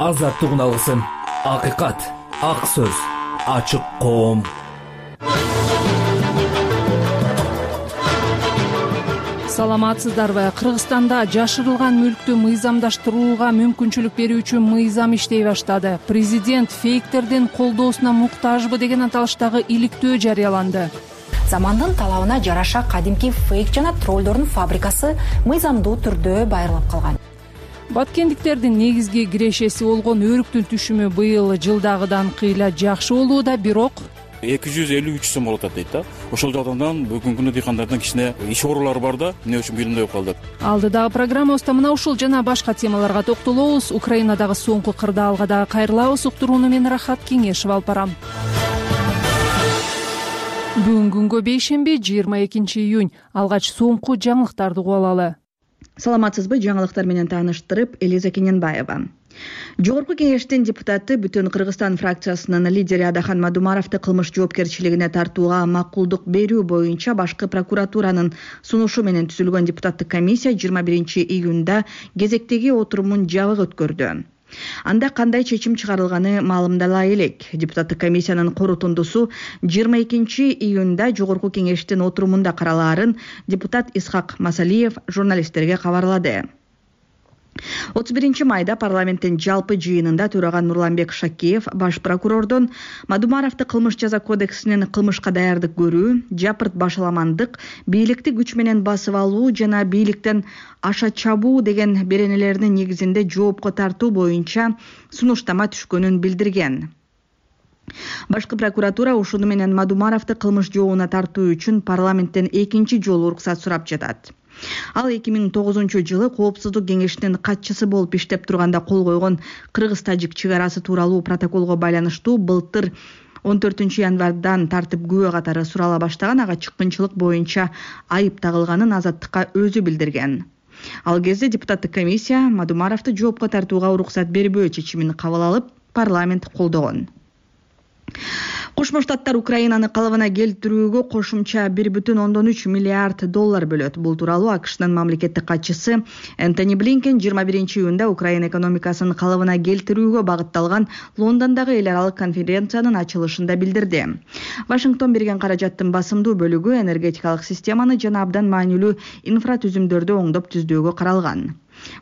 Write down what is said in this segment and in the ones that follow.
азаттык алгысын, акыйкат, ак сөз, ачык коом. Саламатсыздарбы? Кыргызстанда жашырылган мүлктү мыйзамдаштырууга мүмкүнчүлүк берүүчү мыйзам иштей баштады. Президент фейктердин колдоосуна муктажбы деген аталыштагы иликтөө жарыяланды. Замандын талабына жараша кадимки фейк жана троллдордун фабрикасы мыйзамдуу түрдө байырлап калган. Баткендиктердин негизги кирешеси болгон өрүктүн түшүмү быйыл жылдагыдан кыйла жакшы болууда, бирок 253 сом болот дейт да. Ошол жагдан бүгүнкү күндө дыйкандардын кичине иш оорулары бар да, эмне үчүн билинбей калды. Алдыдагы программабызда мына ушул жана башка темаларга токтолобуз. Украинадагы соңку кырдаалга дагы кайрылабыз. Уктурууну мен Рахат Кеңешева алып барам. Бүгүн күнгө бейшемби 22 июнь. Алгач соңку жаңылыктарды угуп алалы. Саламатсызбы? Жаңылыктар менен тааныштырып, Элиза Кененбаева. Жогорку кеңештин депутаты Бүтүн Кыргызстан фракциясынын лидери Адахан Мадумаровду кылмыш жоопкерчилигине тартууга макулдук берүү боюнча башкы прокуратуранын сунушу менен түзүлгөн депутаттык комиссия 21 июнда кезектеги отурумун жабык өткөрдү. Анда кандай чечим чыгарылганы маалымдала элек. Депутаттык комиссиянын корутундусу 22 июнда жогорку кеңештин отурумунда каралаарын депутат Исхак Масалиев журналисттерге кабарлады. 31 майда парламенттин жалпы жыйынында төраган Нурланбек Шакиев баш прокурордон Мадумаровду кылмыш жаза кодексинин кылмышка даярдык көрүү, жапырт башаламандык, бийликти күч менен басып алуу жана бийликтен аша чабуу деген беренелеринин негизинде жоопко тартуу боюнча сунуштама түшкөнүн билдирген. Башкы прокуратура ушуну менен Мадумаровду кылмыш жообуна тартуу үчүн парламенттен экинчи жолу уруксат сурап жатат. Ал 2009-жылы Коопсуздук кеңешинин катчысы болуп иштеп турганда кол койгон Кыргыз-Тажик чек арасы тууралуу протоколго байланыштуу былтыр 14 январдан тартып күбө катары сурала баштаган ага чыккынчылык боюнча айып тагылганын Азаттыкка өзү билдирген. Ал кезде депутаттык комиссия Мадумаровду жоопко тартууга уруксат бербөө чечимин кабыл алып, парламент колдогон. Кошмо Штаттар Украинаны калыбына келтирүүгө кошумча 1,3 миллиард доллар бөлөт. Бул тууралуу АКШнын мамлекеттик катчысы Энтони Блинкен 21 июнда Украина экономикасын калыбына келтирүүгө багытталган Лондондогу эл аралык конференциянын ачылышында билдирди. Вашингтон берген каражаттын басымдуу бөлүгү энергетикалык системаны жана абдан маанилүү инфратүзүмдөрдү оңдоп түздөөгө каралган.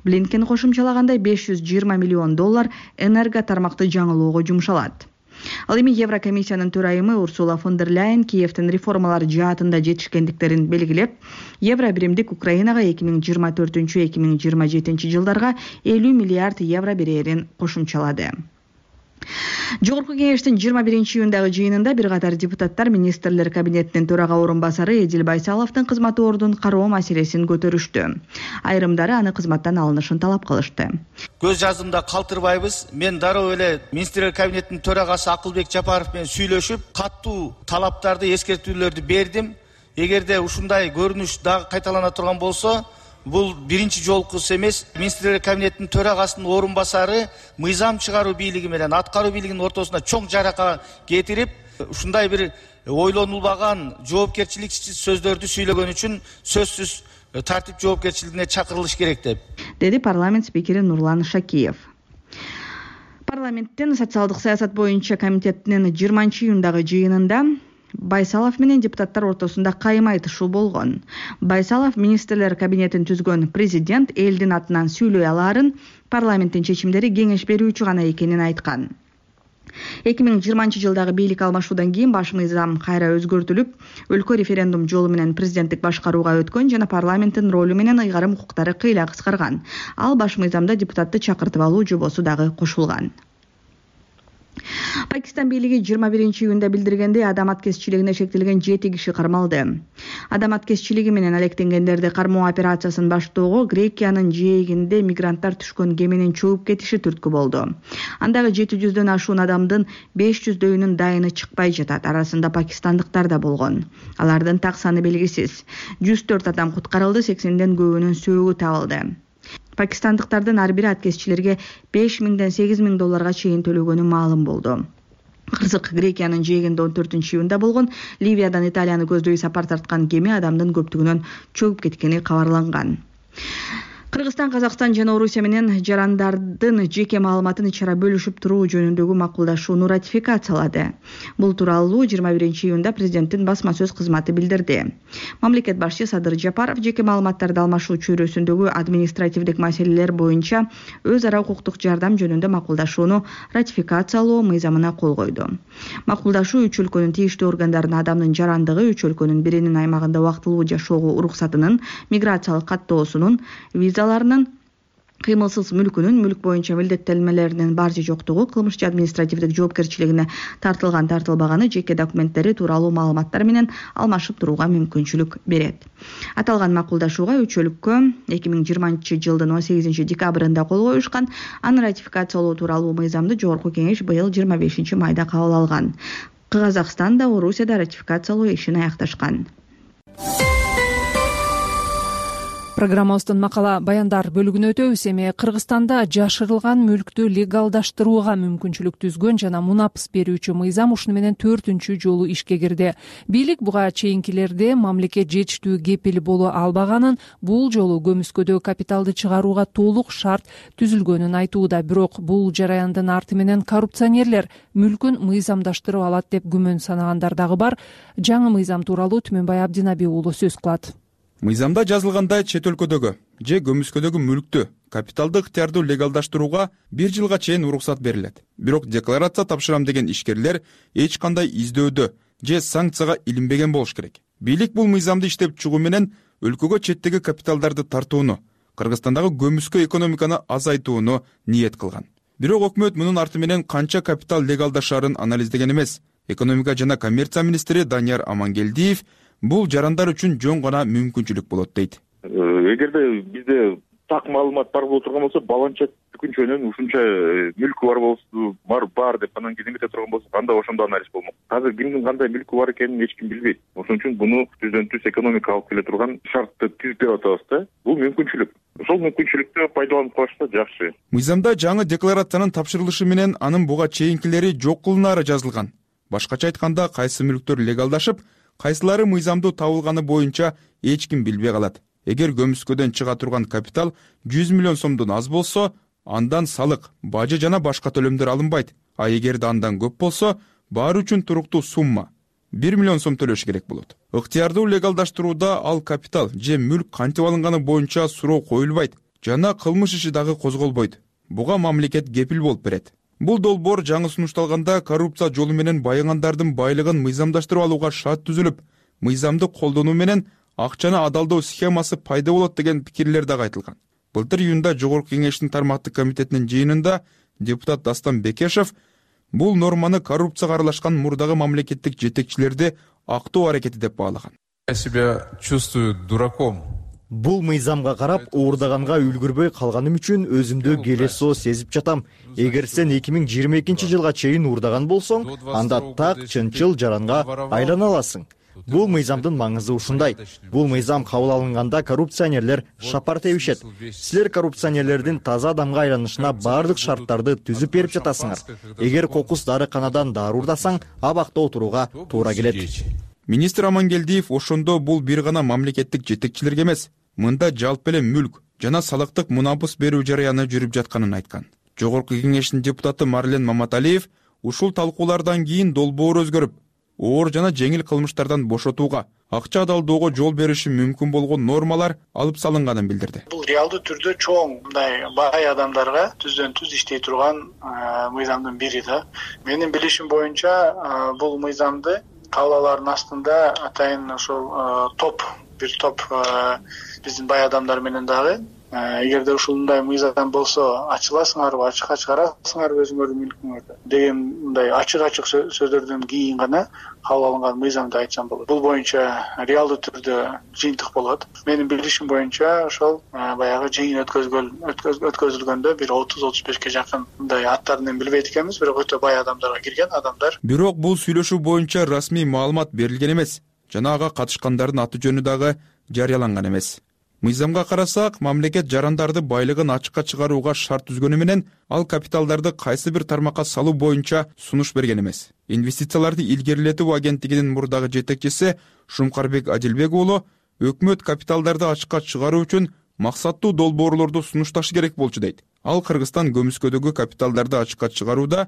Блинкен кошумчалагандай 520 миллион доллар энерго тармакты жаңылоого жумшалат. Ал эми Еврокомиссиянын төрайымы Урсула фон дер Ляйен Киевтин реформалар жаатында жетишкендиктерин белгилеп, евро биримдик Украинага 2024-2027 жылдарга 50 миллиард евро берерин кошумчалады. Жогорку кеңештин 21 июндагы жыйынында бир катар депутаттар министрлер кабинетинин төрага орун басары Эдил Байсаловдун кызматы ордун кароо маселесин көтөрүштү. Айрымдары аны кызматтан алынышын талап кылышты. Көз жазымда калтырбайбыз. Мен дароо эле министрлер кабинетинин төрагасы Акылбек Жапаров менен сүйлөшүп, каттуу талаптарды, эскертүүлөрдү бердим. Эгерде ушундай көрүнүш дагы кайталана турган болсо, бул биринчи жолкусу эмес. Министрлер кабинетинин төрагасынын орун басары мыйзам чыгаруу бийлиги менен аткаруу бийлигинин ортосуна чоң жарака кетирип, ушундай бир ойлонулбаган жоопкерчиликсиз сөздөрдү сүйлөгөн үчүн сөзсүз тартип жоопкерчилигине чакырылыш керек деди парламент спикери Нурлан Шакиев. Парламенттин социалдык саясат боюнча комитетинин 20 июндагы жыйынында Байсалов менен депутаттар ортосунда кайым айтышуу болгон. Байсалов министрлер кабинетин түзгөн президент элдин атынан сүйлөй алаарын, парламенттин чечимдери кеңеш берүүчү гана экенин айткан. 2020 жылдагы бийлик алмашуудан кийин баш мыйзам кайра өзгөртүлүп, өлкө референдум жолу менен президенттик башкарууга өткөн жана парламенттин ролу менен ыйгарым укуктары кыйла кыскарган. Ал баш мыйзамда депутатты чакыртып алуу жобосу дагы кошулган. Пакистан бийлиги 21 июнда билдиргендей адам аткезчилигине шектелген 7 киши кармалды. Адам аткезчилиги менен алектенгендерди кармоо операциясын баштоого Грекиянын жээгинде мигранттар түшкөн кеменин чөгүп кетиши түрткү болду. Андагы 700дөн ашуун адамдын 500дөйүнүн дайыны чыкпай жатат. Арасында пакистандыктар да болгон. Алардын так саны белгисиз. 104 адам куткарылды, 80ден көбүнүн сөөгү табылды. Пакистандыктардын ар бири аткезчилерге 5000ден 8000 долларга чейин төлөгөнү маалым болду. Кырсык Грекиянын жээгинде 14 июнда болгон Ливиядан Италияны көздөй сапар тарткан кеме адамдын көптүгүнөн чөгүп кеткени кабарланган. Кыргызстан, Казакстан жана Орусия менен жарандардын жеке маалыматын ичара бөлүшүп туруу жөнүндөгү макулдашууну ратификациялады. Бул тууралуу 21-июнда президенттин басма сөз кызматы билдирди. Мамлекет башчы Садыр Жапаров жеке маалыматтарды алмашуу чөйрөсүндөгү административдик маселелер боюнча өз ара укуктук жардам жөнүндө макулдашууну ратификациялоо мыйзамына кол койду. Макулдашуу үч өлкөнүн тийиштүү органдарына адамдын жарандыгы, үч өлкөнүн биринин аймагында убактылуу жашоого уруксатынын, миграциялык каттоосунун, визаларынын, кыймылсыз мүлкүнүн, мүлк боюнча милдеттенмелеринин бар же жоктугу, кылмыш же административдик жоопкерчилигине тартылган тартылбаганы, жеке документтери тууралуу маалыматтар менен алмашып турууга мүмкүнчүлүк берет. Аталган макулдашууга үч өлкө 2020-жылдын 18 декабрында кол коюшкан. Аны ратификациялоо тууралуу мыйзамды Жогорку Кеңеш быйыл 25 майда кабыл алган. Казакстан да Орусия да ратификациялоо ишин аякташкан. Программабыздын макала баяндар бөлүгүнө өтөбүз. Эми Кыргызстанда жашырылган мүлктү легалдаштырууга мүмкүнчүлүк түзгөн жана мунапыс берүүчү мыйзам ушуну менен 4-үнчү жолу ишке кирди. Бийлик буга чейинкилерде мамлекет жетиштүү кепил боло албаганын, бул жолу көмүскөдө капиталды чыгарууга толук шарт түзүлгөнүн айтууда. Бирок бул жараяндын арты менен коррупционерлер мүлкүн мыйзамдаштырып алат деп күмөн санагандар дагы бар. Жаңы мыйзам тууралуу Түмөнбай Абдинаби уулу сөз кылат. Мыйзамда жазылгандай чет өлкөдөгү же көмүскөдөгү мүлктү капиталды ыктыярдуу легалдаштырууга 1 жылга чейин уруксат берилет. Бирок декларация тапшырам деген ишкерлер эч кандай издөөдө же санкцияга илинбеген болуш керек. Бийлик бул мыйзамды иштеп чыгуу менен өлкөгө четтеги капиталдарды тартууну, Кыргызстандагы көмүскө экономиканы азайтууну ниет кылган. Бирок өкмөт мунун арты менен канча капитал легалдашарын анализдеген эмес. Экономика жана коммерция министри Данияр Амангелдиев бул жарандар үчүн жөн гана мүмкүнчүлүк болот дейт. Эгерде бизде так маалымат бар боло турган болсо, баланча күнчөнөн ушунча мүлкү бар болсо, бар деп анан кийин эмете турган болсо, анда ошондо анализ болмок. Азыр кимдин кандай мүлкү бар экенин эч ким билбейт. Ошон үчүн буну түздөн-түз экономика алып келе турган шартты түзүп берип атабыз да. Бул мүмкүнчүлүк. Ошол мүмкүнчүлүктү пайдаланып калышса жакшы. Мыйзамда жаңы декларациянын тапшырылышы менен анын буга чейинкилери жок кылынаары жазылган. Башкача айтканда, кайсы мүлктөр легалдашып, кайсылары мыйзамдуу табылганы боюнча эч ким билбей калат. Эгер көмүскөдөн чыга турган капитал 100 миллион сомдон аз болсо, андан салык, бажы жана башка төлөмдөр алынбайт. А эгерде андан көп болсо, баары үчүн туруктуу сумма 1 миллион сом төлөш керек болот. Ыктыярдуу легалдаштырууда ал капитал же мүлк кантип алынганы боюнча суроо коюлбайт жана кылмыш иши дагы козголбойт. Буга мамлекет кепил болуп берет. Бул долбоор жаңы сунушталганда коррупция жолу менен байыгандардын байлыгын мыйзамдаштырып алууга шарт түзүлүп, мыйзамды колдонуу менен акчаны адалдоо схемасы пайда болот деген пикирлер дагы айтылган. Былтыр июнда Жогорку Кеңештин тармактык комитетинин жыйынында депутат Дастан Бекешев бул норманы коррупцияга аралашкан мурдагы мамлекеттик жетекчилерди актоо аракети деп баалаган. Я себя чувствую дураком. Бул мыйзамга карап уурдаганга үлгүрбөй калганым үчүн өзүмдү келесоо сезип жатам. Эгер сен 2022 жылга чейин уурдаган болсоң, анда так чынчыл жаранга айлана аласың. Бул мыйзамдын маңызы ушундай. Бул мыйзам кабыл алынганда коррупционерлер шапар тебишет. Силер коррупционерлердин таза адамга айланышына бардык шарттарды түзүп берип жатасыңар. Эгер кокус дарыканадан дары уурдасаң, абакта отурууга туура келет. Министр Амангелдиев ошондо бул бир гана мамлекеттик жетекчилерге эмес, мында жалпы эле мүлк жана салыктык мунапыс берүү жараяны жүрүп жатканын айткан. Жогорку Кеңештин депутаты Марлен Маматалиев ушул талкуулардан кийин долбоор өзгөрүп, оор жана жеңил кылмыштардан бошотууга, акча адалдоого жол бериши мүмкүн болгон нормалар алып салынганын билдирди. Бул реалдуу түрдө чоң мындай бай адамдарга түздөн-түз иштей турган мыйзамдын бири да. Менин билишим боюнча бул мыйзамды кабыл астында атайын ошол бир топ биздин бай адамдар менен дагы эгерде ушундай мыйзам болсо ачыласыңарбы, ачыкка чыгарасыңарбы өзүңөрдүн мүлкүңөрдү деген мындай ачык сөздөрдөн кийин гана кабыл алынган мыйзамды айтсам болот. Бул боюнча реалдуу түрдө жыйынтык болот. Менин билишим боюнча ошол баягы жыйын өткөзүлгөндө бир 30-35 жакын мындай аттарын билбейт экенбиз, бирок өтө бай адамдарга кирген адамдар. Бирок бул сүйлөшүү боюнча расмий маалымат берилген эмес жана ага катышкандардын аты жөнү дагы жарыяланган эмес. Мыйзамга карасак, мамлекет жарандарды байлыгын ачыкка чыгарууга шарт түзгөнү менен ал капиталдарды кайсы бир тармакка салуу боюнча сунуш берген эмес. Инвестицияларды илгерилетүү агенттигинин мурдагы жетекчиси Шумкарбек Адилбек уулу өкмөт капиталдарды ачыкка чыгаруу үчүн максаттуу долбоорлорду сунушташы керек болчу дейт. Ал Кыргызстан көмүскөдөгү капиталдарды ачыкка чыгарууда,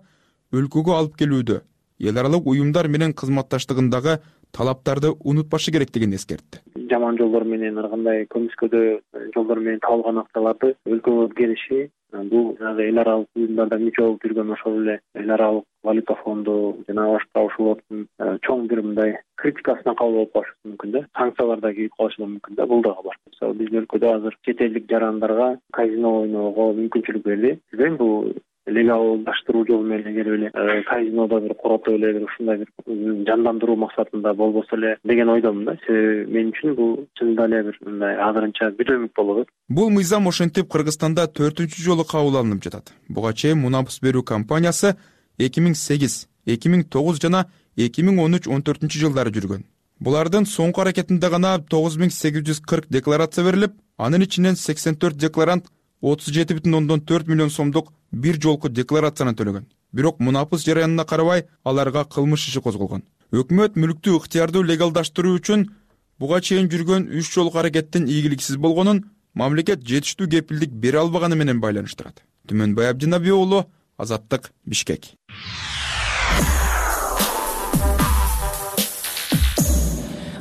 өлкөгө алып келүүдө, эл аралык уюмдар менен кызматташтыгындагы талаптарды унутпашы керектигин эскертти. Жаман жолдор менен ар кандай көмүскөдө жолдор менен табылган акчаларды өлкөгө келиши, бул эл аралык уюмдарда мүчө болуп жүргөн ошол эле эл аралык валюта фонду жана башка ошолордун чоң бир мындай критикасына кабыл болуп калышы мүмкүн да, санкциялар да кийип калышы мүмкүн да, бул дагы бар. Мисалы биздин өлкөдө азыр чет элдик жарандарга казино ойноого мүмкүнчүлүк берди. Бизден бул легалдаштыруу жолу менен эгер эле казинода бир коротуп эле бир ушундай бир жандандыруу максатында болбосо эле деген ойдомун да. Себеби мен үчүн бул чынында эле бир мындай азырынча бүдөмүк болот. Бул мыйзам ошентип Кыргызстанда 4-чү жолу кабыл алынып жатат. Буга чейин мунапыс берүү компаниясы 2008, 2009 жана 2013-14 жылдары жүргөн. Булардын соңку аракетинде гана 9840 декларация берилип, анын ичинен 84 декларант 37,4 миллион сомдук бир жолку декларацияны төлөгөн. Бирок мунапыс жараянына карабай аларга кылмыш иши козголгон. Өкмөт мүлктү ыктыярдуу легалдаштыруу үчүн буга чейин жүргөн 3 жолку аракеттин ийгиликсиз болгонун мамлекет жетиштүү кепилдик бере албаганы менен байланыштырат. Түмөнбай Абдинаби уулу, Азаттык, Бишкек.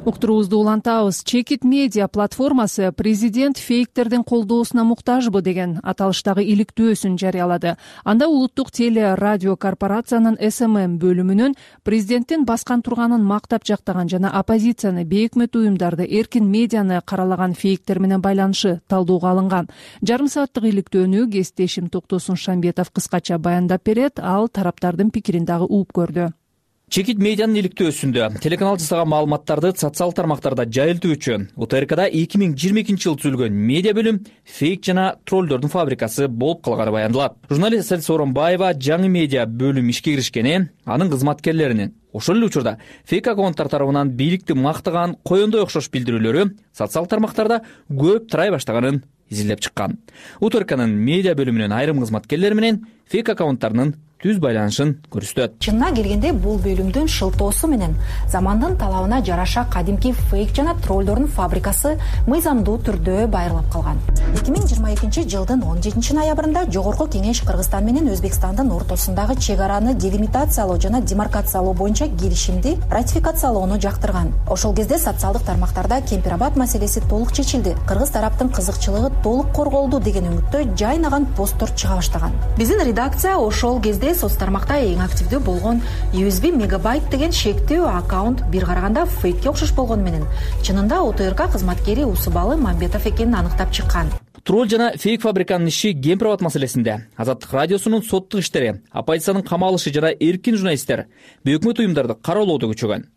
Уктуруубузду улантабыз. Чекит медиа платформасы президент фейктердин колдоосуна муктажбы деген аталыштагы иликтөөсүн жарыялады. Анда улуттук теле радио корпорациянын СММ бөлүмүнүн президенттин баскан турганын мактап жактаган жана оппозицияны, бейөкмөт уюмдарды, эркин медианы каралаган фейктер менен байланышы талдоого алынган. Жарым сааттык иликтөөнү кесиптешим Токтосун Шамбетов кыскача баяндап берет. Ал тараптардын пикирин дагы угуп көрдү. Чекит медианын иликтөөсүндө телеканал жасаган маалыматтарды социалдык тармактарда жайылтуу үчүн УТРКда 2022 жылы түзүлгөн медиа бөлүм фейк жана троллдордун фабрикасы болуп калганы баяндалат. Журналист Асель Сооронбаева жаңы медиа бөлүм ишке киришкени, анын кызматкерлеринин ошол эле учурда фейк аккаунттар тарабынан бийликти мактаган коёндой окшош билдирүүлөрү социалдык тармактарда көп тарай баштаганын изилдеп чыккан. УТРКнын медиа бөлүмүнүн айрым кызматкерлери менен фейк аккаунттарынын түз байланышын көрсөтөт. Чынына келгенде бул бөлүмдүн шылтоосу менен замандын талабына жараша кадимки фейк жана троллдордун фабрикасы мыйзамдуу түрдө байырлап калган. 2022 жылдын 17 ноябрында Жогорку Кеңеш Кыргызстан менен Өзбекстандын ортосундагы чек араны делимитациялоо жана демаркациялоо боюнча келишимди ратификациялоону жактырган. Ошол кезде социалдык тармактарда кемпир-абад маселеси толук чечилди. Кыргыз тараптын кызыкчылыгы толук корголду деген үмүттө жайнаган посттор чыга баштаган. Биздин редакция ошол кезде соц тармакта эң активдүү болгон USB мегабайт деген шектүү аккаунт бир караганда фейкке окшош болгону менен чынында УТРК кызматкери Усубалы Мамбетов экенин аныктап чыккан. Тролл жана фейк фабриканын иши кемпир-абад маселесинде Азаттык радиосунун соттук иштери, оппозициянын камалышы жана эркин журналисттер бейөкмөт уюмдарды кароолоодо күчөгөн.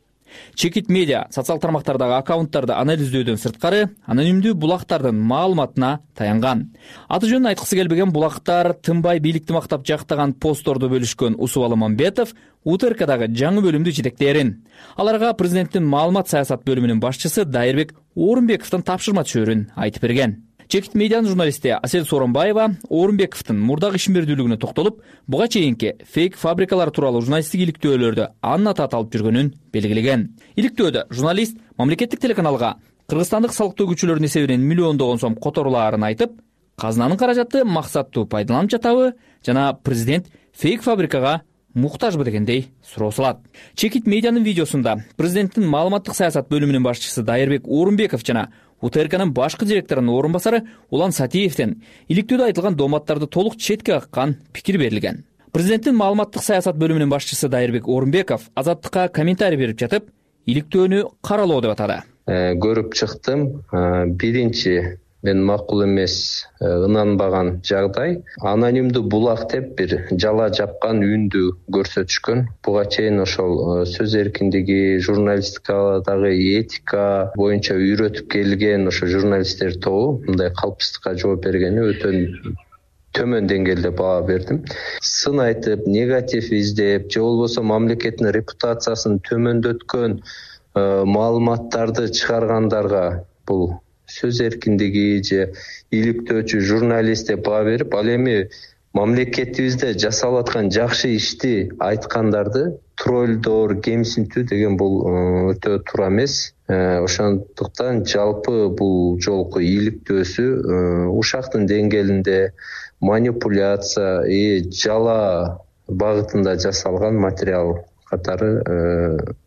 Чекит медиа социал тармактардагы аккаунттарды анализдөөдөн сырткары анонимдүү булактардын маалыматына таянган. Аты жөнүн айткысы келбеген булактар тынбай бийликти мактап жактаган постторду бөлүшкөн Усубалы Мамбетов УТРКдагы жаңы бөлүмдү жетектээрин. Аларга президенттин маалымат саясат бөлүмүнүн башчысы Дайырбек Орунбековдун тапшырма түшөрүн айтып берген. Чекит медианын журналисти Асель Сооронбаева Орунбековдун мурдагы ишмердүүлүгүнө токтолуп, буга чейинки фейк фабрикалар тууралуу журналисттик иликтөөлөрдө анын аты аталып жүргөнүн белгилеген. Иликтөөдө журналист мамлекеттик телеканалга кыргызстандык салык төгүүчүлөрдүн эсебинен миллиондогон сом которулаарын айтып, казынанын каражаты максаттуу пайдаланып жатабы жана президент фейк фабрикага муктажбы дегендей суроо салат. Чекит медианын видеосунда президенттин маалыматтык саясат бөлүмүнүн башчысы Дайырбек Орунбеков жана УТРКнын башкы директорунун орун басары Улан Сатиевден иликтөөдө айтылган дооматтарды толук четке каккан пикир берилген. Президенттин маалыматтык саясат бөлүмүнүн башчысы Дайырбек Орунбеков Азаттыкка комментарий берип жатып, иликтөөнү каралоо деп атады. Көрүп чыктым. Биринчи мен макул эмес, ынанбаган жагдай анонимдүү булак деп бир жала жапкан үндү көрсөтүшкөн. Буга чейин ошол сөз эркиндиги, журналистикадагы этика боюнча үйрөтүп келген ошо журналисттер тобу мындай калпыстыкка жооп бергени өтө төмөн деңгээлде баа бердим. Сын айтып, негатив издеп, же болбосо мамлекеттин репутациясын төмөндөткөн маалыматтарды чыгаргандарга бул сөз эркиндиги же иликтөөчү журналист деп баа берип, ал эми мамлекетибизде жасалып аткан жакшы ишти айткандарды тролльдор кемсинтүү деген бул өтө туура эмес. Ошондуктан жалпы бул жолку иликтөөсү ушактын деңгээлинде манипуляция жала багытында жасалган материал катары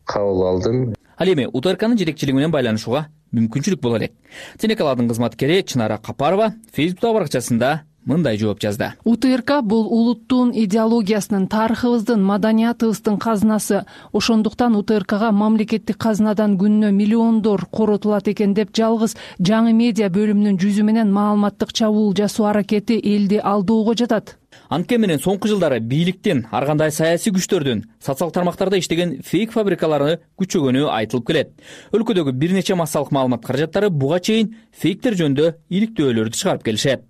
кабыл алдым. Ал эми УТРКнын жетекчилиги менен байланышууга мүмкүнчүлүк боло элек. Телекаладын кызматкери Чынара Капарова Фейсбуктагы баракчасында мындай жооп жазды. УТРК бул улуттун идеологиясынын, тарыхыбыздын, маданиятыбыздын казынасы. Ошондуктан УТРКга мамлекеттик казынадан күнүнө миллиондор коротулат экен деп жалгыз жаңы медиа бөлүмүнүн жүзү менен маалыматтык чабуул жасоо аракети элди алдоого жатат. Анткени менен соңку жылдары бийликтин, ар кандай саясий күчтөрдүн социалдык тармактарда иштеген фейк фабрикалары күчөгөнү айтылып келет. Өлкөдөгү бир нече массалык маалымат каражаттары буга чейин фейктер жөнүндө иликтөөлөрдү чыгарып келишет.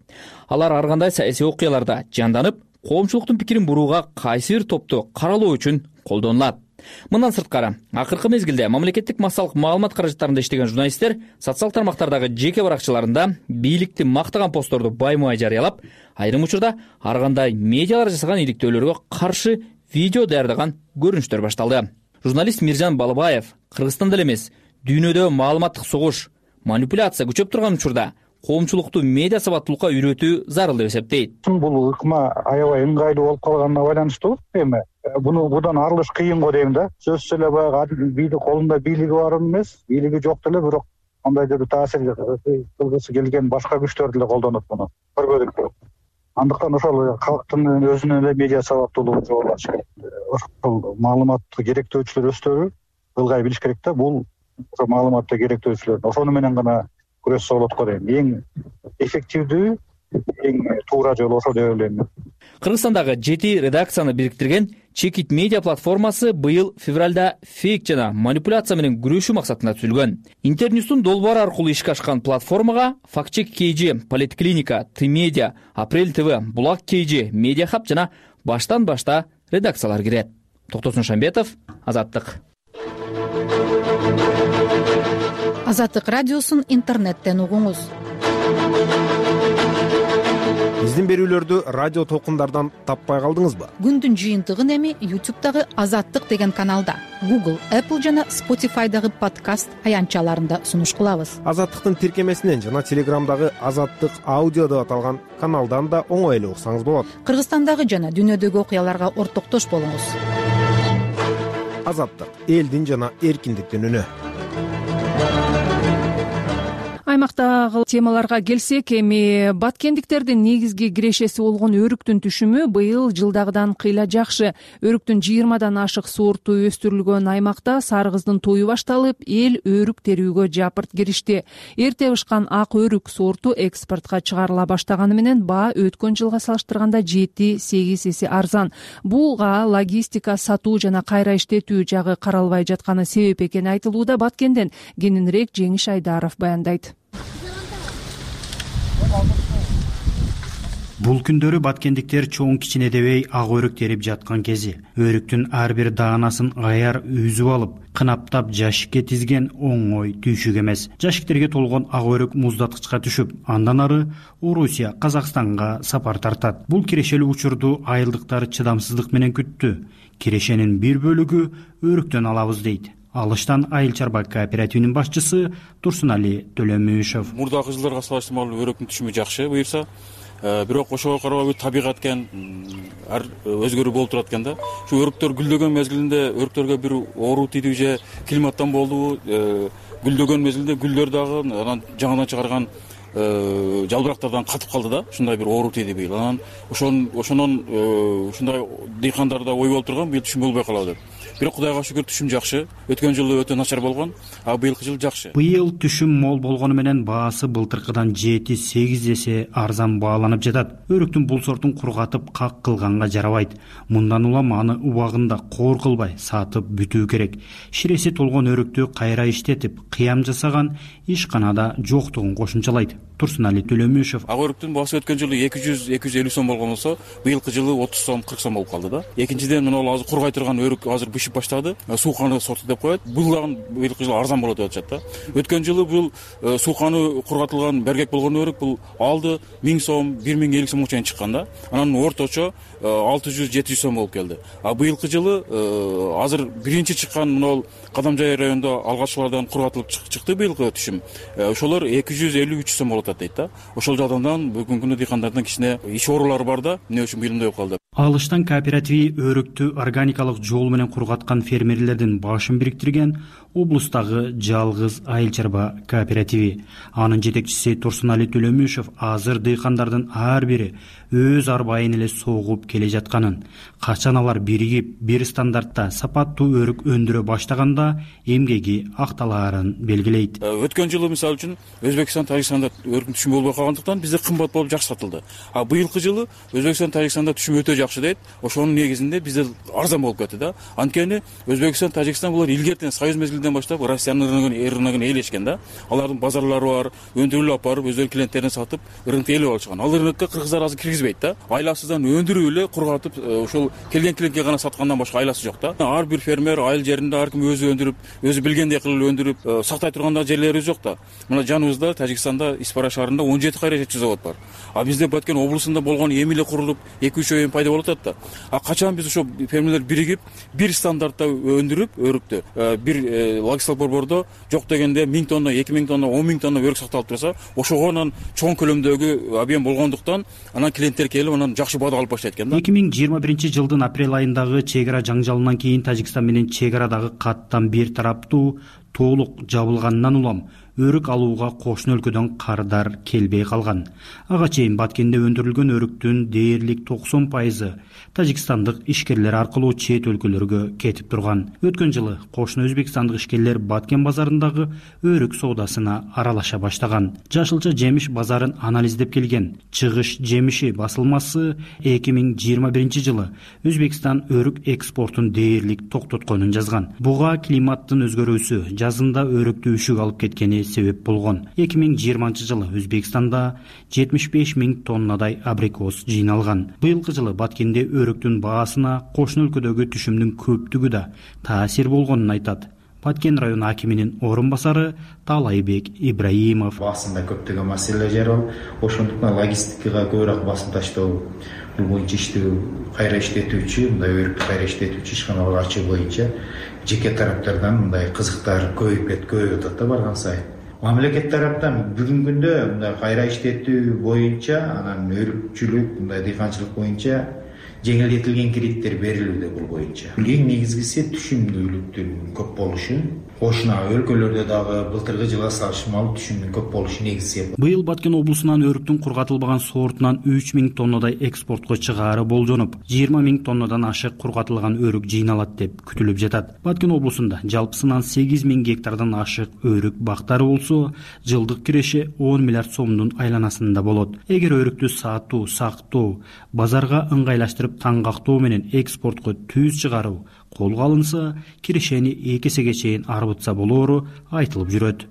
Алар ар кандай саясий окуяларда жанданып, коомчулуктун пикирин бурууга кайсы бир топту каралоо үчүн колдонулат. Мындан сырткары, акыркы мезгилде мамлекеттик массалык маалымат каражаттарында иштеген журналисттер социалдык тармактардагы жеке баракчаларында бийликти мактаган постторду баймай жарыялап, айрым учурда ар кандай медиалар жасаган иликтөөлөргө каршы видео даярдаган көрүнүштөр башталды. Журналист Миржан Балыбаев Кыргызстанда эле эмес, дүйнөдө маалыматтык согуш, манипуляция күчөп турган учурда коомчулукту медиа сабаттуулукка үйрөтүү зарыл деп эсептейт. Бул ыкма аябай ыңгайлуу болуп калганына байланыштуу. Эми будан арылыш кыйын го дейм да. Сөзсүз эле баягы бийлик колунда бийлиги бар эмес, бийлиги жок деле, бирок кандайдыр таасир кылгысы келген башка күчтөр деле колдонот муну. Көргөдүк. Андыктан ошол калктын өзүнүн эле медиа сабаттуулугун жоготулат. Ошол маалыматты керектөөчүлөр өздөрү ылгай билиш керек да. Бул маалыматты керектөөчүлөр ошону менен гана күрөшсө болот го дейм. Эң эффективдүү, эң туура жол ошо деп ойлойм. Кыргызстандагы 7 редакцияны бириктирген Чекит медиа платформасы быйыл февралда фейк жана манипуляция менен күрөшүү максатында түзүлгөн. Интерньюстун долбоору аркылуу ишке ашкан платформага Фактчек KG, Политклиника, Т-медиа, Апрель ТВ, Булак KG, Медиа Хаб жана баштан башта редакциялар кирет. Токтосун Шамбетов, Азаттык. Азаттык радиосун интернеттен угуңуз. Биздин берүүлөрдү радио толкундардан таппай калдыңызбы? Күндүн жыйынтыгын эми YouTube'дагы Азаттык деген каналда, Google, Apple жана Spotify'дагы подкаст аянтчаларында сунуш кылабыз. Азаттыктын тиркемесинен жана Телеграмдагы Азаттык аудио деп аталган каналдан да оңой эле уксаңыз болот. Кыргызстандагы жана дүйнөдөгү окуяларга ортоктош болуңуз. Азаттык — элдин жана эркиндиктин үнү. Аймактагы темаларга келсек, эми баткендиктердин негизги кирешеси болгон өрүктүн түшүмү быйыл жылдагыдан кыйла жакшы. Өрүктүн 20дан ашык сорту өстүрүлгөн аймакта сары кыздын тою башталып, эл өрүк терүүгө жапырт киришти. Эрте бышкан ак өрүк сорту экспортко чыгарыла баштаганы менен баа өткөн жылга салыштырганда 7-8 эсе арзан. Буга логистика, сатуу жана кайра иштетүү жагы каралбай жатканы себеп экени айтылууда. Баткенден кененирээк Жеңиш Айдаров баяндайт. Бул күндөрү баткендиктер чоң кичине дебей ак өрүк терип жаткан кези. Өрүктүн ар бир даанасын аяр үзүп алып, кынаптап жашикке тизген оңой түйшүк эмес. Жашиктерге толгон ак өрүк муздаткычка түшүп, андан ары Орусия, Казакстанга сапар тартат. Бул кирешелүү учурду айылдыктар чыдамсыздык менен күттү. Кирешенин бир бөлүгү өрүктөн алабыз дейт. Алыштан Айыл чарба кооперативинин башчысы Турсунали Төлөмүшов. Мурдагы жылдарга салыштырмалуу өрүктүн түшүмү жакшы буюрса, бирок ошого карабай табигат экен, өзгөрүү болуп турат экен да. Ушу өрүктөр гүлдөгөн мезгилинде өрүктөргө бир оору тийди же климаттан болдубу, гүлдөгөн мезгилде гүлдөр дагы анан жаңадан чыгарган жалбырактардан катып калды да, ушундай бир оору тийди быйыл. Анан ошонун ушундай дыйкандарда ой болуп турган, быйыл түшүм болбой калабы деп. Бирок Кудайга шүгүр түшүм жакшы. Өткөн жылы өтө начар болгон, а быйылкы жыл жакшы. Быйыл түшүм мол болгону менен баасы былтыркыдан 7-8 эсе арзан бааланып жатат. Өрүктүн бул сортун кургатып как кылганга жарабайт. Мындан улам аны убагында коор кылбай сатып бүтүү керек. Ширеси толгон өрүктү кайра иштетип, кыям жасаган ишканада жоктугун кошумчалайт. Турсунали Төлөмүшев. Ак өрүктүн баасы өткөн жылы 200-250 сом болгон болсо, быйылкы жылы 30 сом, 40 сом болуп калды да. Экинчиден, мына азыр кургай турган өрүк азыр бышып баштады. Сууканы сорту деп коет. Бул дагы быйылкы жылы арзан болот деп атышат да. Өткөн жылы бул сууканы кургатылган бергек болгон өрүк бул алды 1000 сом, 1050 сомго чейин чыккан да. Анан орточо 600-700 сом болуп келди. А быйылкы жылы азыр биринчи чыккан мына Кадамжай районунда алгачкылардан кургатылып чыкты быйылкы түшүм. Ошолор 250-300 сом болот дейт да. Ошол жагдан бүгүнкү күндө дыйкандардын кичине иш оорулары бар да. Эмне үчүн быйылмай калды? Алыштан кооперативи өрүктү органикалык жол менен кургаткан фермерлердин башын бириктирген облустагы жалгыз айыл чарба кооперативи. Анын жетекчиси Турсунали Төлөмүшев азыр дыйкандардын ар бири өз арбайын эле согуп келе жатканын, качан алар биригип бир стандартта сапаттуу өрүк өндүрө баштаганда эмгеги акталаарын белгилейт. Өткөн жылы мисалы үчүн Өзбекстан, Тажикстанда өрүктүн түшүмү болбой калгандыктан бизде кымбат болуп жакшы сатылды. А быйылкы жылы Өзбекстан, Тажикстанда түшүм өтө жакшы дейт. Ошонун негизинде бизде арзан болуп кетти да. Анткени Өзбекстан, Тажикстан булар илгертен союз мезгилинен баштап Россиянын рыногун ээлешкен да. Алардын базарлары бар, өндүрүлүп алып барып өздөрү клиенттерине сатып рынокто ээлеп алышкан. Ал рынокко кыргыздар азыр киргизбейт да. Айласыздан өндүрүп эле кургатып, ошол келген клиентке гана саткандан башка айласы жок да. Ар бир фермер айыл жеринде ар ким өзү өндүрүп, өзү билгендей кылып өндүрүп сактай турган жерлери жок да. Мына жаныбызда Тажикстанда Испара шаарында 17 кайрачы завод бар. А бизде Баткен облусунда болгон эми эле курулуп 2-3 ай пайда болуп атат да. А качан биз ошо фермерлер биригип бир стандартта өндүрүп өрүктү бир логистикалык борбордо жок дегенде 1000 тонна, 2000 тонна, 10 000 тонна өрүк сакталып турса, ошого анан чоң көлөмдөгү объем болгондуктан анан клиенттер келип анан жакшы баада алып баштайт экен да. 2021 жылдын апрель айындагы чек ара жаңжалынан кийин Тажикстан менен чек арадагы каттам бир тараптуу толук жабылгандан улам өрүк алууга кошуна өлкөдөн кардар келбей калган. Ага чейин Баткенде өндүрүлгөн өрүктүн дээрлик 90% тажикстандык ишкерлер аркылуу чет өлкөлөргө кетип турган. Өткөн жылы кошуна өзбекстандык ишкерлер Баткен базарындагы өрүк соодасына аралаша баштаган. Жашылча жемиш базарын анализдеп келген Чыгыш жемиши басылмасы 2021 жылы Өзбекстан өрүк экспортун дээрлик токтотконун жазган. Буга климаттын өзгөрүүсү, жазында өрүктү үшүк алып кеткени себеп болгон. 2020 жылы Өзбекстанда 75 000 тоннадай абрикос жыйналган. Быйылкы жылы Баткенде өрүктүн баасына кошуна өлкөдөгү түшүмдүн көптүгү да таасир болгонун айтат Баткен район акиминин орун басары Талайбек Ибраимов. Басында көптөгөн маселелер жаралып, ошондуктан логистикага көбүрөөк басым таштоо, бул боюнча иштөө кайра иштетүүчү, мындай өрүктү кайра иштетүүчү ишканалар ачуу боюнча жеке тараптардан мындай кызыктар көбөйүп атат да барган сайын. Мамлекет тараптан бүгүнкү күндө мындай кайра иштетүү боюнча, анан өрүкчүлүк, мындай дыйканчылык боюнча жеңилдетилген кредиттер берилүүдө бул боюнча. Эң негизгиси түшүмдүүлүктүн көп болушу. Кошуна өлкөлөрдө дагы былтыркы жылга салыштырмалуу түшүмдүн көп болушу негизи. Быйыл Баткен облусунан өрүктүн кургатылбаган сортунан 3000 тоннадай экспортко чыгаары болжонуп, 20 000 тоннадан ашык кургатылган өрүк жыйналат деп күтүлүп жатат. Баткен облусунда жалпысынан 8000 гектардан ашык өрүк бактары болсо, жылдык киреше 10 миллиард сомдун айланасында болот. Эгер өрүктү сатуу, сактоо, базарга ыңгайлаштырып таңгактоо менен экспортко түз чыгаруу колго алынса, кирешени 2 эсеге чейин арбытса болоору айтылып жүрөт.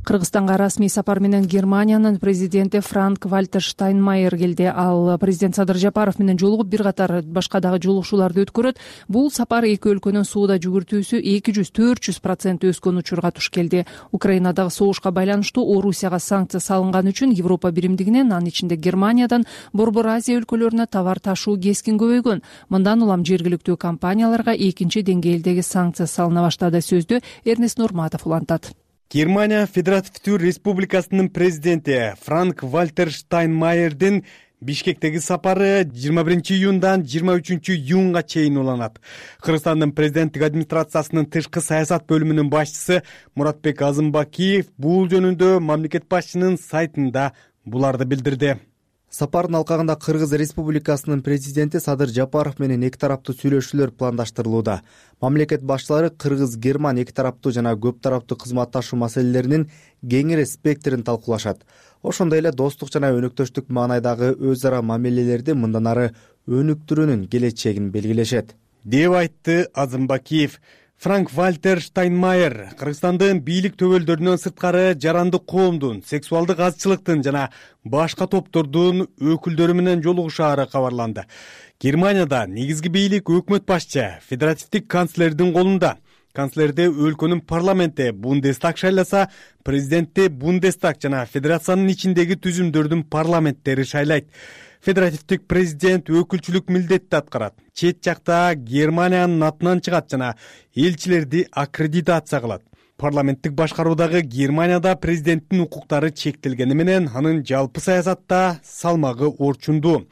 Кыргызстанга расмий сапар менен Германиянын президенти Франк-Вальтер Штайнмайер келди. Ал президент Садыр Жапаров менен жолугуп бир катар башка дагы жолугушууларды өткөрөт. Бул сапар эки өлкөнүн соода жүгүртүүсү 200-400% өскөн учурга туш келди. Украинадагы согушка байланыштуу Орусияга санкция салынган үчүн Европа биримдигинен, анын ичинде Германиядан Борбор Азия өлкөлөрүнө товар ташуу кескин көбөйгөн. Мындан улам жергиликтүү компанияларга экинчи деңгээлдеги санкция салына баштады. Сөздү Эрнест Нурматов улантат. Германия Федеративдүү Республикасынын президенти Франк-Вальтер Штайнмайердин Бишкектеги сапары 21 июндан 23 июнга чейин уланат. Кыргызстандын президенттик администрациясынын тышкы саясат бөлүмүнүн башчысы Муратбек Азымбакиев бул жөнүндө мамлекет башчынын сайтында буларды билдирди. Сапардын алкагында Кыргыз Республикасынын президенти Садыр Жапаров менен эки тараптуу сүйлөшүүлөр пландаштырылууда. Мамлекет башчылары Кыргыз-Герман эки тараптуу жана көп тараптуу кызматташуу маселелеринин кеңири спектрин талкуулашат. Ошондой эле достук жана өнөктөштүк маанайдагы өз ара мамилелерди мындан ары өнүктүрүүнүн келечегин белгилешет, деп айтты Азымбакиев. Франк Вальтер Штайнмайер Кыргызстандын бийлик төбөлдөрүнөн сырткары жарандык коомдун, сексуалдык азчылыктын жана башка топтордун өкүлдөрү менен жолугушаары кабарланды. Германияда негизги бийлик өкмөт башчы, федеративдик канцлердин колунда. Канцлерди өлкөнүн парламенти Бундестаг шайласа, президентти Бундестаг жана федерациянын ичиндеги түзүмдөрдүн парламенттери шайлайт. Федеративдик президент өкүлчүлүк милдетти аткарат. Чет жакта Германиянын атынан чыгат жана элчилерди аккредитация кылат. Парламенттик башкаруудагы Германияда президенттин укуктары чектелгени менен анын жалпы саясатта салмагы орчундуу.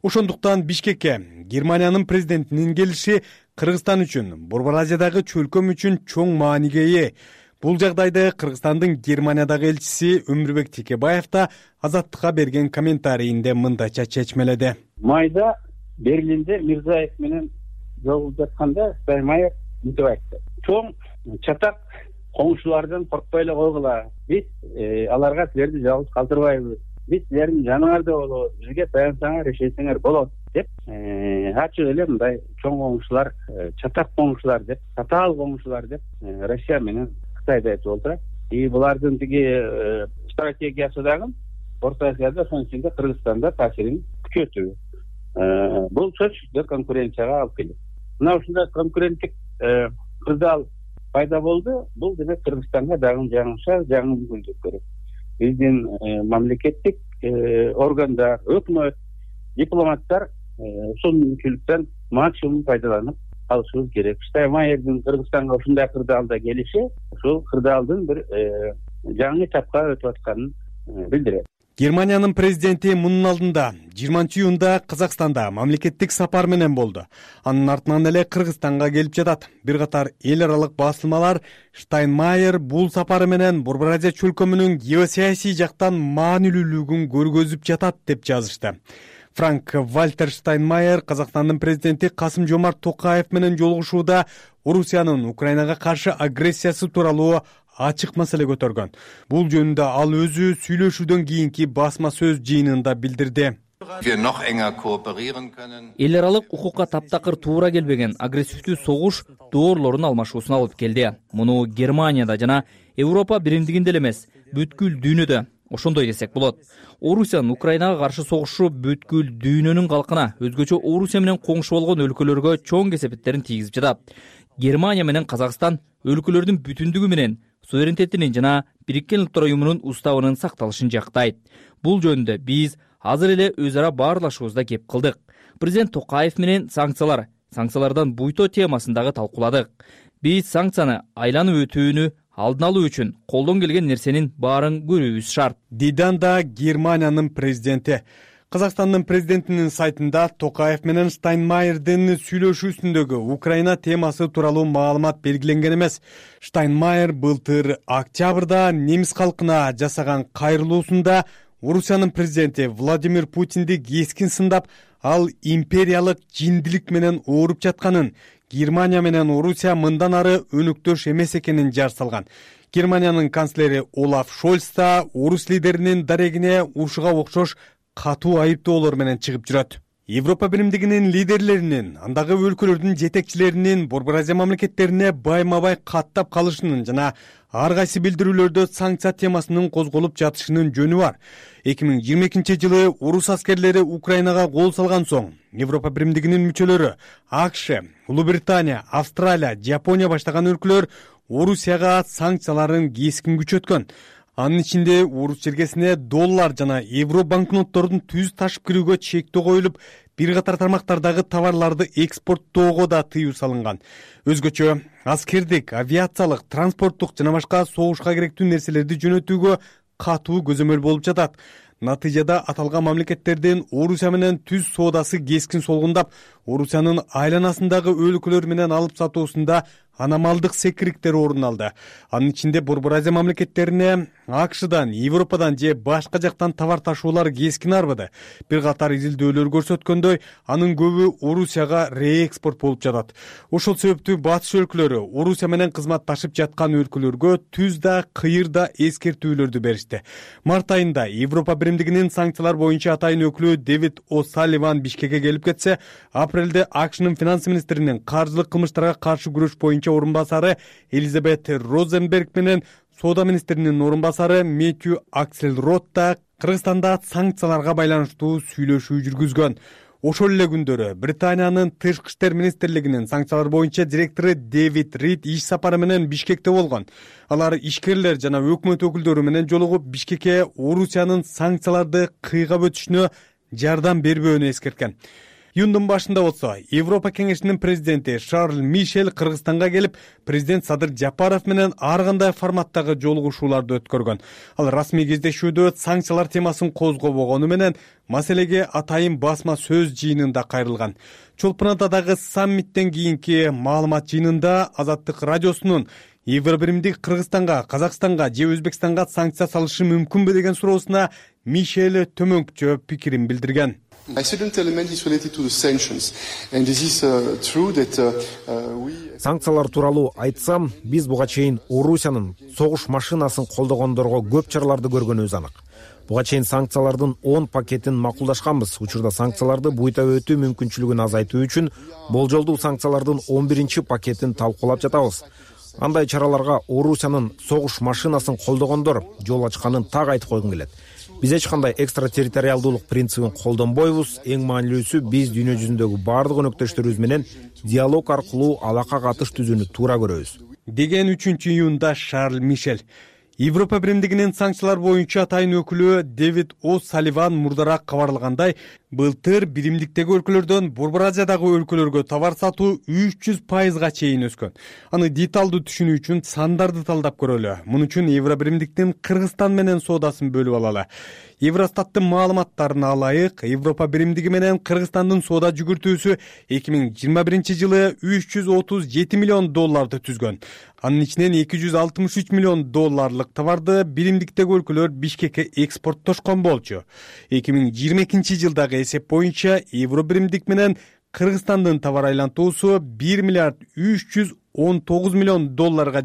Ошондуктан Бишкекке Германиянын президентинин келиши Кыргызстан үчүн, Борбор Азиядагы чөлкөм үчүн чоң мааниге ээ. Бул жагдайды Кыргызстандын Германиядагы элчиси Өмүрбек Текебаев да Азаттыкка берген комментарийинде мындайча чечмеледи. Майда Берлинде Мирзаев менен жолугуп жатканда Штайнмайер мынтип айтты. Чоң чатак коңшулардан коркпой эле койгула. Биз аларга силерди жалгыз калтырбайбыз. Биз силердин жаныңарда болобуз. Бизге таянсаңар, ишенсеңер болот деп ачык эле мындай чоң коңшулар, чатак коңшулар деп, татаал коңшулар деп Россия менен Кытайды айтып отурат. Булардын тиги стратегиясы дагы Орто Азияда, ошонун ичинде Кыргызстанда таасирин күчөтүү. Бул сөзсүз конкуренцияга алып келет. Мына ушундай конкуренттик кырдаал пайда болду. Бул демек Кыргызстанга дагы жаңы мүмкүнчүлүк берет. Биздин мамлекеттик органдар, өкмөт, дипломаттар ушул мүмкүнчүлүктөн максимум пайдаланып алышыбыз керек. Штайнмайердин Кыргызстанга ушундай кырдаалда келиши ушул кырдаалдын бир жаңы этапка өтүп атканын билдирет. Германиянын президенти мунун алдында 20-июнда Казакстанда мамлекеттик сапар менен болду. Анын артынан эле Кыргызстанга келип жатат. Бир катар эл аралык басылмалар Штайнмайер бул сапары менен Борбор Азия чөлкөмүнүн геосаясий жактан маанилүүлүгүн көргөзүп жатат деп жазышты. Франк Вальтер Штайнмайер Казакстандын президенти Касым-Жомарт Токаев менен жолугушууда Орусиянын Украинага каршы агрессиясы тууралуу ачык маселе көтөргөн. Бул жөнүндө ал өзү сүйлөшүүдөн кийинки басма сөз жыйынында билдирди. Эл аралык укукка таптакыр туура келбеген агрессивдүү согуш доорлорун алмашуусуна алып келди. Муну Германияда жана Европа биримдигинде эле эмес, бүткүл дүйнөдө ошондой десек болот. Орусиянын Украинага каршы согушу бүткүл дүйнөнүн калкына, өзгөчө Орусия менен коңшу болгон өлкөлөргө чоң кесепеттерин тийгизип жатат. Германия менен Казакстан өлкөлөрдүн бүтүндүгү менен суверенитетинин жана Бириккен Улуттар Уюмунун уставынын сакталышын жактайт. Бул жөнүндө биз азыр эле өз ара баарлашуубузда кеп кылдык. Президент Токаев менен санкциялардан буйто темасын дагы талкууладык. Биз санкцияны айланып өтүүнү алдын алуу үчүн колдон келген нерсенин баарын көрүүбүз шарт. Диданда Германиянын президенти. Казакстандын президентинин сайтында Токаев менен Штайнмайердин сүйлөшүүсүндөгү Украина темасы тууралуу маалымат белгиленген эмес. Штайнмайер былтыр октябрда немис калкына жасаган кайрылуусунда Орусиянын президенти Владимир Путинди кескин сындап, ал империялык жиндилик менен ооруп жатканын, Германия менен Орусия мындан ары өнөктөш эмес экенин жар салган. Германиянын канцлери Олаф Шольц да орус лидеринин дарегине ушуга окшош катуу айыптоолор менен чыгып жүрөт. Европа биримдигинин лидерлеринин, андагы өлкөлөрдүн жетекчилеринин Борбор Азия мамлекеттерине байма-бай каттап калышынын жана ар кайсы билдирүүлөрдө санкция темасынын козголуп жатышынын жөнү бар. 2022-жылы орус аскерлери Украинага кол салган соң, Европа биримдигинин мүчөлөрү АКШ, Улуу Британия, Австралия, Жапония баштаган өлкөлөр Орусияга санкцияларын кескин күчөткөн. Анын ичинде орус чергесине доллар жана евро банкноттордун түз ташып кирүүгө чектөө коюлуп, бир катар тармактардагы товарларды экспорттоого да тыюу салынган. Өзгөчө аскердик, авиациялык, транспорттук жана башка согушка керектүү нерселерди жөнөтүүгө катуу көзөмөл болуп жатат. Натыйжада аталган мамлекеттердин Орусия менен түз соодасы кескин солгундап, Орусиянын айланасындагы өлкөлөр менен алып сатуусунда аномалдык секириктер орун алды. Анын ичинде Борбор Азия мамлекеттерине АКШдан, Европадан же башка жактан товар ташуулар кескин арбыды. Бир катар изилдөөлөр көрсөткөндөй, анын көбү Орусияга реэкспорт болуп жатат. Ошол себептүү батыш өлкөлөрү Орусия менен кызматташып жаткан өлкөлөргө түз да, кыйыр да эскертүүлөрдү беришти. Март айында Европа биримдигинин санкциялар боюнча атайын өкүлү Дэвид О'Салливан Бишкекке келип кетсе, апрелде АКШнын финанс министринин каржылык кылмыштарга каршы күрөш боюнча биринчи орун басары Элизабет Розенберг менен соода министринин орун басары Мэтью Акселрод да Кыргызстанда санкцияларга байланыштуу сүйлөшүү жүргүзгөн. Ошол эле күндөрү Британиянын тышкы иштер министрлигинин санкциялар боюнча директору Дэвид Рид иш сапары менен Бишкекте болгон. Алар ишкерлер жана өкмөт өкүлдөрү менен жолугуп Бишкекке Орусиянын санкцияларды кыйгап өтүшүнө жардам бербөөнү эскерткен. Июндун башында болсо Европа кеңешинин президенти Шарль Мишель Кыргызстанга келип, президент Садыр Жапаров менен ар кандай форматтагы жолугушууларды өткөргөн. Ал расмий кездешүүдө санкциялар темасын козгобогону менен маселеге атайын басма сөз жыйынында кайрылган. Чолпон Атадагы саммиттен кийинки маалымат жыйынында Азаттык радиосунун Евробиримдик Кыргызстанга, Казакстанга же Өзбекстанга санкция салышы мүмкүнбү деген суроосуна Мишель төмөнкүчө пикирин билдирген. Санкциялар тууралуу айтсам, биз буга чейин Орусиянын согуш машинасын колдогондорго көп чараларды көргөнүбүз анык. Буга чейин санкциялардын 10 пакетин макулдашканбыз. Учурда санкцияларды буйта өтүү мүмкүнчүлүгүн азайтуу үчүн болжолдуу санкциялардын 11 пакетин талкуулап жатабыз. Андай чараларга Орусиянын согуш машинасын колдогондор жол ачканын так айтып койгум келет. Биз эч кандай экстратерриториалдуулук принцибин колдонбойбуз. Эң маанилүүсү биз дүйнө жүзүндөгү бардык өнөктөштөрүбүз менен диалог аркылуу алака катыш түзүүнү туура көрөбүз, деген 3 июнда Шарль Мишель. Европа биримдигинин санкциялар боюнча атайын өкүлү Дэвид О'Салливан мурдараак кабарлагандай, былтыр биримдиктеги өлкөлөрдөн Борбор Азиядагы өлкөлөргө товар сатуу 300% чейин өскөн. Аны деталдуу түшүнүү үчүн сандарды талдап көрөлү. Муну үчүн Евробиримдиктин Кыргызстан менен соодасын бөлүп алалы. Евростаттын маалыматтарына алайык, Европа биримдиги менен Кыргызстандын соода жүгүртүүсү 2021 жылы $337 миллион түзгөн. Анын ичинен $263 миллион товарды биримдиктеги өлкөлөр Бишкекке экспорттошкон болчу. 2022 жылдагы эсеп боюнча Евробиримдик менен Кыргызстандын товар айлантуусу $1,319 миллион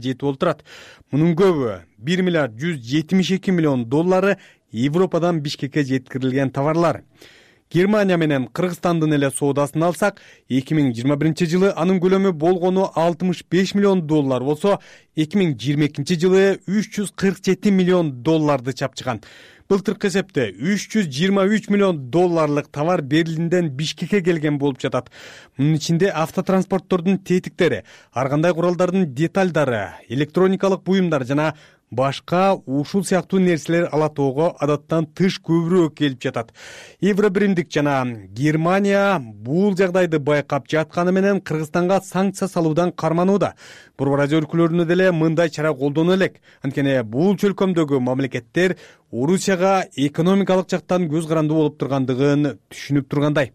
жетип олтурат. Мунун көбү $1,172 миллион Европадан Бишкекке жеткирилген товарлар. Германия менен Кыргызстандын эле соодасын алсак, 2021 жылы анын көлөмү болгону $65 миллион болсо, 2022 жылы $347 миллион чапчыган. Былтыркы эсепте $323 миллион товар Берлинден Бишкекке келген болуп жатат. Мунун ичинде автотранспорттордун тетиктери, ар кандай куралдардын деталдары, электроникалык буюмдар жана башка ушул сыяктуу нерселер алатоого адаттан тыш көбүрөөк келип жатат. Евробиримдик жана Германия бул жагдайды байкап жатканы менен Кыргызстанга санкция салуудан карманууда. Борбор Азия өлкөлөрүнө деле мындай чара колдоно элек. Анткени бул чөлкөмдөгү мамлекеттер Орусияга экономикалык жактан көз карандуу болуп тургандыгын түшүнүп тургандай.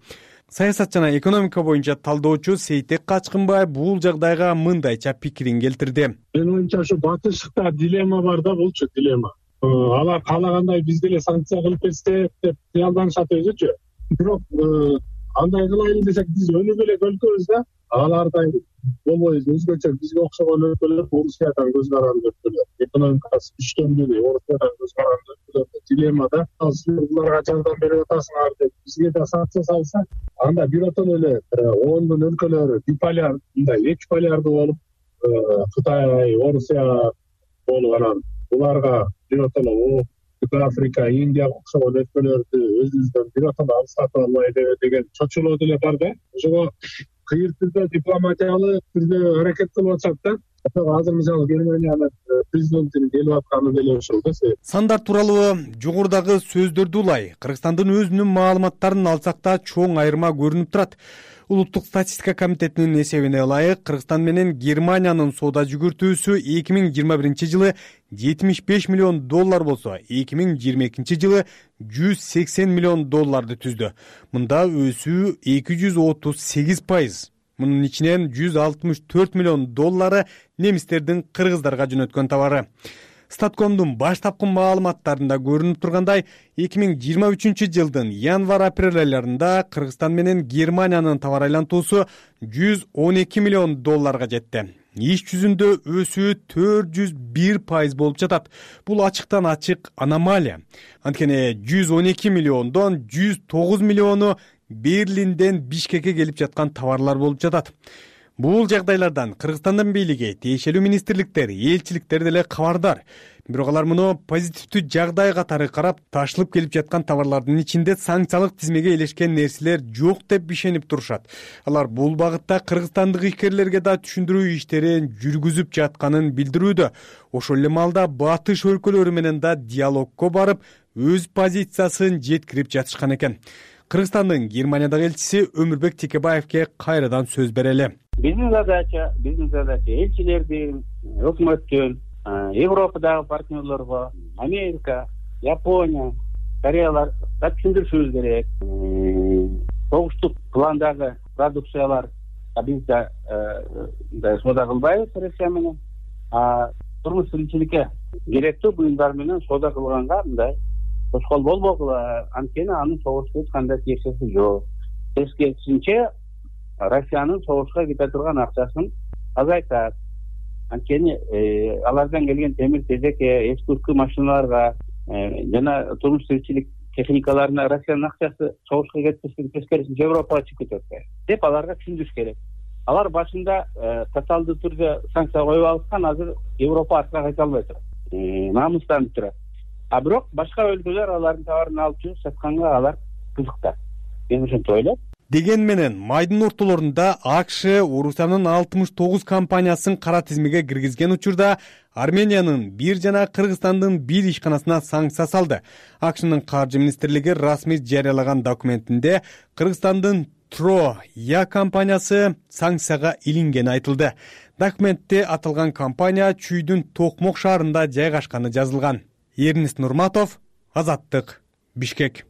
Саясат жана экономика боюнча талдоочу Сейтек Качкынбай бул жагдайга мындайча пикирин келтирди. Менин оюмча ушу батыштыкта дилемма бар да, булчу дилемма. Алар каалагандай биз деле санкция кылып кетсек деп кыялданышат өзүчү. Бирок андай кылайлы десек биз өнүгө элек өлкөбүз да, алардай болбойбуз. Өзгөчө бизге окшогон өлкөлөр Орусиядан көз каранды өлкөлөр. Экономикасы күчтөнгү Орусиядан көз каранды өлкөлөр дилеммада. Силер буларга жардам берип атасыңар деп бизге да санкция салса, анда биротон эле ондон өлкөлөр биполяр, мындай эки полярдуу болуп, Кытай, Орусия болуп анан буларга биротон Африка, Индия окшогон өлкөлөрдү өзүбүздөн биротон алыстатып албайлы деген чочулоо деле бар да. Ошого кыйыр түрдө дипломатиялык түрдө аракет кылып атышат да. Азыр мисалы Германиянын президентинин келип атканы деле ошол да. Сандар тууралуу жогорудагы сөздөрдү улай Кыргызстандын өзүнүн маалыматтарын алсак да чоң айырма көрүнүп турат. Улуттук статистика комитетинин эсебине ылайык, Кыргызстан менен Германиянын соода жүгүртүүсү 2021 жылы $75 миллион болсо, 2022 жылы $180 миллион түздү. Мында өсүү 238%. Мунун ичинен $164 миллион немистердин кыргыздарга жөнөткөн товары. Статкомдун баштапкы маалыматтарында көрүнүп тургандай, 2023 жылдын январь-апрель айларында Кыргызстан менен Германиянын товар айлантуусу $112 миллион жетти. Иш жүзүндө өсүү 401% болуп жатат. Бул ачыктан ачык аномалия. Анткени 112 миллиондон 109 миллиону Берлинден Бишкекке келип жаткан товарлар болуп жатат. Бул жагдайлардан Кыргызстандын бийлиги, тиешелүү министрликтер, элчиликтер деле кабардар. Бирок алар муну позитивдүү жагдай катары карап, ташылып келип жаткан товарлардын ичинде санкциялык тизмеге илешкен нерселер жок деп ишенип турушат. Алар бул багытта кыргызстандык ишкерлерге да түшүндүрүү иштерин жүргүзүп жатканын билдирүүдө. Ошол эле маалда батыш өлкөлөрү менен да диалогко барып, өз позициясын жеткирип жатышкан экен. Кыргызстандын Германиядагы элчиси Өмүрбек Текебаевге кайрадан сөз берели. Биздин задача элчилердин, өкмөттүн, Европадагы партнерлорго, Америка, Япония, Кореяларга түшүндүрүшүбүз керек. Согуштук пландагы продукциялар бизде соода кылбайбыз Россия менен. Турмуш тиричиликке керектүү буюмдар менен соода кылганга мындай тоскоол болбогула. Анткени анын согушка эч кандай тиешеси жок. Тескерисинче Россиянын согушка кете турган акчасын азайтат. Анткени алардан келген темир-тезекке, эски машиналарга жана турмуш тиричилик техникаларына Россиянын акчасы согушка кетпестен тескерисинче Европага чыгып кетет деп аларга түшүндүрүш керек. Алар башында тоталдуу түрдө санкция коюп алышкан, азыр Европа артка кайта албай турат. Намыстанып турат. Бирок башка өлкөлөр алардын товарын алып жүрүп сатканга алар кызыктар. Мен ошентип ойлойм. Деген менен майдын ортолорунда АКШ Орусиянын 69 компаниясын кара тизмеге киргизген учурда Армениянын 1 жана Кыргызстандын 1 ишканасына санкция салды. АКШнын каржы министрлиги расмий жарыялаган документинде Кыргызстандын Я компаниясы санкцияга илингени айтылды. Документте аталган компания Чүйдүн Токмок шаарында жайгашканы жазылган. Эрнест Нурматов, Азаттык, Бишкек.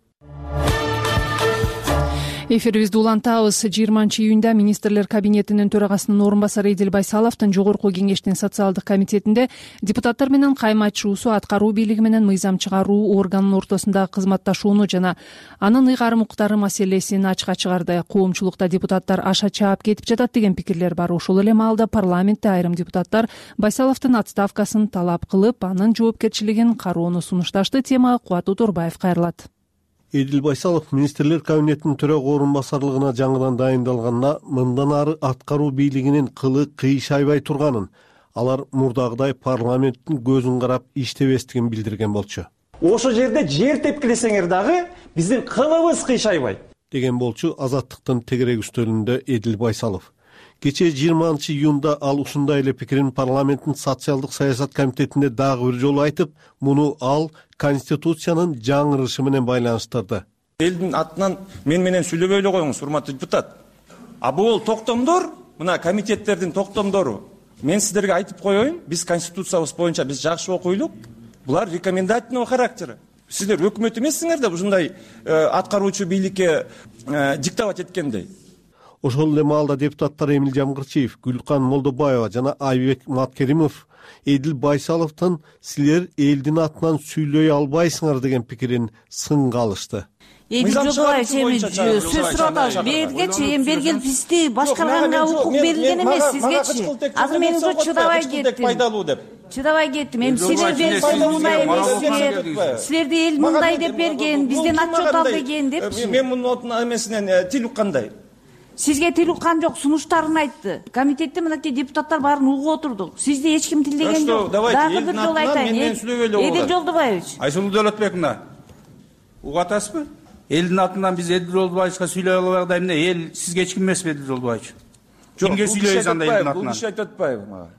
Эфирибизди улантабыз. 20-июнда министрлер кабинетинин төрагасынын орун басары Эдил Байсаловдун жогорку кеңештин социалдык комитетинде депутаттар менен кайма айтышуусу аткаруу бийлиги менен мыйзам чыгаруу органынын ортосундагы кызматташууну жана анын ыйгарым укуктары маселесин ачыкка чыгарды. Коомчулукта депутаттар аша чаап кетип жатат деген пикирлер бар. Ошол эле маалда парламентте айрым депутаттар Байсаловдун отставкасын талап кылып, анын жоопкерчилигин кароону сунушташты. Темага Кубат Уторбаев кайрылат. Эдил Байсалов министрлер кабинетинин төрага орун басарлыгына жаңыдан дайындалганына мындан ары аткаруу бийлигинин кылы кыйшайбай турганын, алар мурдагыдай парламенттин көзүн карап иштебестигин билдирген болчу. Ошол жерде жер тепкилесеңер дагы биздин кылыбыз кыйшайбайт деген болчу Азаттыктын тегерек үстөлүндө Эдил Байсалов. Кечээ 20-июнда ал ушундай эле пикирин парламенттин социалдык саясат комитетинде дагы бир жолу айтып, муну ал Конституциянын жаңырышы менен байланыштырды. Элдин атынан мен менен сүйлөбөй эле коюңуз, урматтуу депутат. Бул токтомдор, мына комитеттердин токтомдору. Мен сиздерге айтып коеюн, биз конституциябыз боюнча биз жакшы окуйлук. Булар рекомендательный характер. Сиздер өкмөт эмессиңер да ушундай аткаруучу бийликке диктовать эткендей. Ошол эле маалда депутаттар Эмил Жамгырчиев, Гүлкан Молдобаева жана Айбек Маткеримов Эдил Байсаловдун силер элдин атынан сүйлөй албайсыңар деген пикирин сынга алышты. Эдил Жолдобаев сөз сурап атабыз. Берге чейин бергил бизди башкарганга укук берилген эмес сизгечи. Азыр мен уже чыдабай кеттим. Чыдабай кеттим. Эми силерден мындай эмессиңер. Силерди эл мындай деп берген, бизден отчет ал деген деп. Мен мунун эмесинен тил уккандай. Сизге тил уккан жок, сунуштарын айтты. Комитетте мынакей депутаттар баарын угуп отурдук. Сизди эч ким тилдеген жок. Дагы бир жолу айтайын. Эдил Жолдобаевич. Айсулуу Дөөлөтбековна, угуп атасызбы? Элдин атынан биз Эдил Жолдобаевичке сүйлөй албайбыз. Эмне эл сизге эч ким эмеспи Эдил Жолдобаевич? Кимге сүйлөйбүз анда элдин атынан? Бул иш айтып атпайбы мага?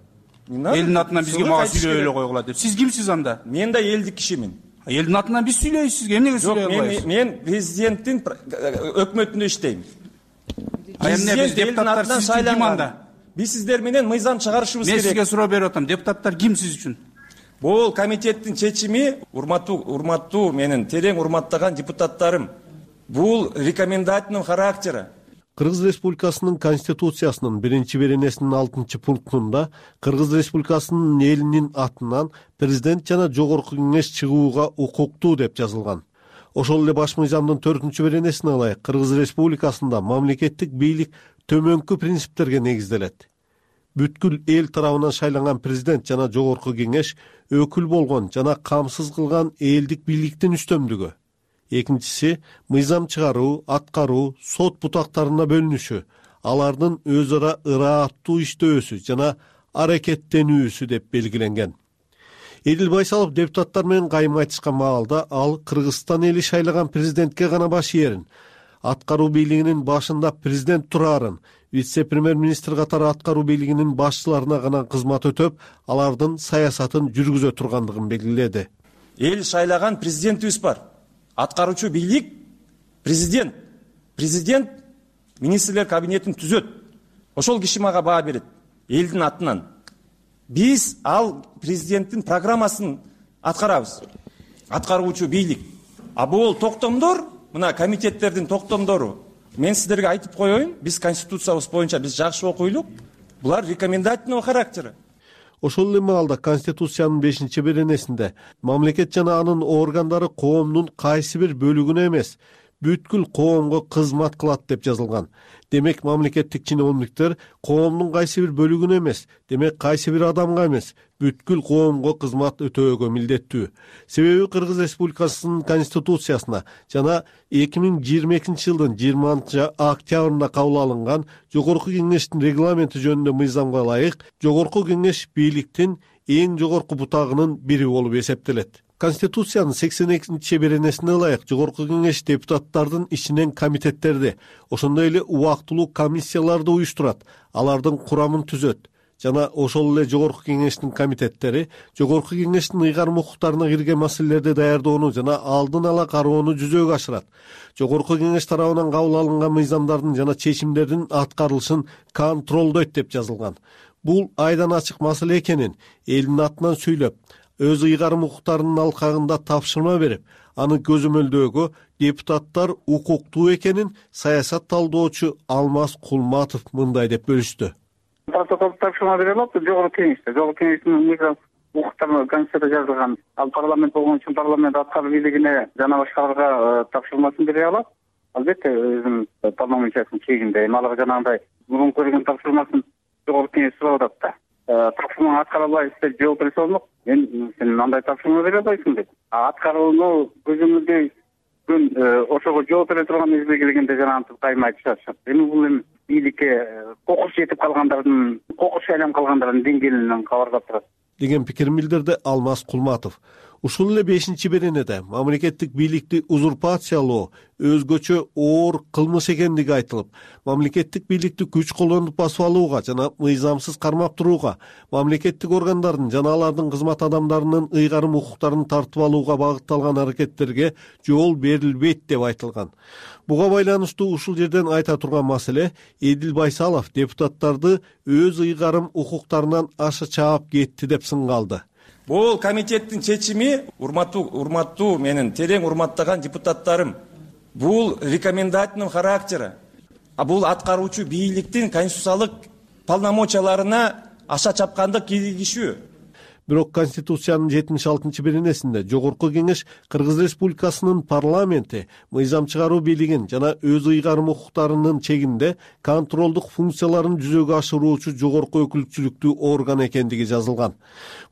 Элдин атынан бизге мага сүйлөй эле койгула деп. Сиз кимсиз анда? Мен да элдик кишимин. Элдин атынан биз сүйлөйбүз сизге. Эмнеге сүйлөй албайбыз? Мен президенттин өкмөтүндө иштейм. Биз депутаттар сайланган. Биз сиздер менен мыйзам чыгарышыбыз керек. Мен сизге суроо берип атам. Депутаттар ким сиз үчүн? Бул комитеттин чечими, урматтуу менин терең урматтаган депутаттарым. Бул рекомендательный характери. Кыргыз Республикасынын Конституциясынын 1-беренесинин 6-пунктунда Кыргыз Республикасынын элинин атынан президент жана жогорку кеңеш чыгууга укуктуу деп жазылган. Ошол эле баш мыйзамдын 4-беренесине ылайык Кыргыз Республикасында мамлекеттик бийлик төмөнкү принциптерге негизделет. Бүткүл эл тарабынан шайланган президент жана жогорку кеңеш өкүл болгон жана камсыз кылган элдик бийликтин үстөмдүгү. Экинчиси, мыйзам чыгаруу, аткаруу, сот бутактарына бөлүнүшү, алардын өз ара ырааттуу иштөөсү жана аракеттенүүсү деп белгиленген. Эдил Байсалов депутаттар менен кайым айтышкан маалда ал Кыргызстан эли шайлаган президентке гана баш ээрин, аткаруу бийлигинин башында президент турарын, вице-премьер-министр катары аткаруу бийлигинин башчыларына гана кызмат өтөп, алардын саясатын жүргүзө тургандыгын белгиледи. Эл шайлаган президентибиз бар. Аткаруучу бийлик президент. Президент министрлер кабинетин түзөт. Ошол киши мага баа берет элдин атынан. Биз ал президенттин программасын аткарабыз. Аткаруучу бийлик. А бул токтомдор, мына комитеттердин токтомдору. Мен сиздерге айтып коеюн, биз конституциябыз боюнча биз жакшы окуйлук. Булар рекомендательного характера. Ошол эле маалда Конституциянын 5-беренесинде мамлекет жана анын органдары коомдун кайсы бир бөлүгүнө эмес, бүткүл коомго кызмат кылат деп жазылган. Демек мамлекеттик чиновниктер коомдун кайсы бир бөлүгүнө эмес, демек кайсы бир адамга эмес, бүткүл коомго кызмат өтөөгө милдеттүү. Себеби Кыргыз Республикасынын Конституциясына жана 2022-жылдын 20-октябрында кабыл алынган Жогорку Кеңештин регламенти жөнүндө мыйзамга ылайык Жогорку Кеңеш бийликтин эң жогорку бутагынын бири болуп эсептелет. Конституциянын 82-беренесине ылайык Жогорку Кеңеш депутаттардын ичинен комитеттерди, ошондой эле убактылуу комиссияларды уюштурат, алардын курамын түзөт жана ошол эле Жогорку Кеңештин комитеттери Жогорку Кеңештин ыйгарым укуктарына кирген маселелерди даярдоону жана алдын ала кароону жүзөгө ашырат. Жогорку Кеңеш тарабынан кабыл алынган мыйзамдардын жана чечимдердин аткарылышын контролдойт деп жазылган. Бул айдан ачык маселе экенин элдин атынан сүйлөп, өз ыйгарым укуктарынын алкагында тапшырма берип, аны көзөмөлдөөгө депутаттар укуктуу экенин саясат талдоочу Алмаз Кулматов мындай деп бөлүштү. Протокол тапшырма бере алат Жогорку Кеңеште. Жогорку Кеңештин мыйзам укуктарына Конституцияда жазылган. Ал парламент болгон үчүн парламент аткаруу бийлигине жана башкаларга тапшырмасын бере алат. Албетте өзүнүн полномочиясынын чегинде. Эми алар жанагындай мурунку берген тапшырмасын Жогорку Кеңеш сурап атат да. Тапшырманы аткара албайсыз деп жооп берсе болмок. Сен андай тапшырма бере албайсың деп. Аткарууну көзөмөлдөй күн ошого жооп бере турган мезгил келгенде жанагынтип кайым айтышат. Эми бул эми бийликке кокус жетип калгандардын, кокус шайланып калгандардын деңгээлинен кабардар турат деген пикирин билдирди Алмаз Кулматов. Ушул эле 5-беренеде мамлекеттик бийликти узурпациялоо өзгөчө оор кылмыш экендиги айтылып, мамлекеттик бийликти күч колдонуп басып алууга жана мыйзамсыз кармап турууга, мамлекеттик органдардын жана алардын кызмат адамдарынын ыйгарым укуктарын тартып алууга багытталган аракеттерге жол берилбейт деп айтылган. Буга байланыштуу ушул жерден айта турган маселе Эдил Байсалов депутаттарды өз ыйгарым укуктарынан аша чаап кетти деп сынгалды. Бул комитеттин чечими, урматтуу менин терең урматтаган депутаттарым, бул рекомендательный характера. А бул аткаруучу бийликтин конституциялык полномочияларына аша чапкандык киргизишүү. Бирок Конституциянын 76-беренесинде Жогорку Кеңеш Кыргыз Республикасынын парламенти мыйзам чыгаруу бийлигин жана өз ыйгарым укуктарынын чегинде контролдук функцияларын жүзөгө ашыруучу жогорку өкүлчүлүктүү орган экендиги жазылган.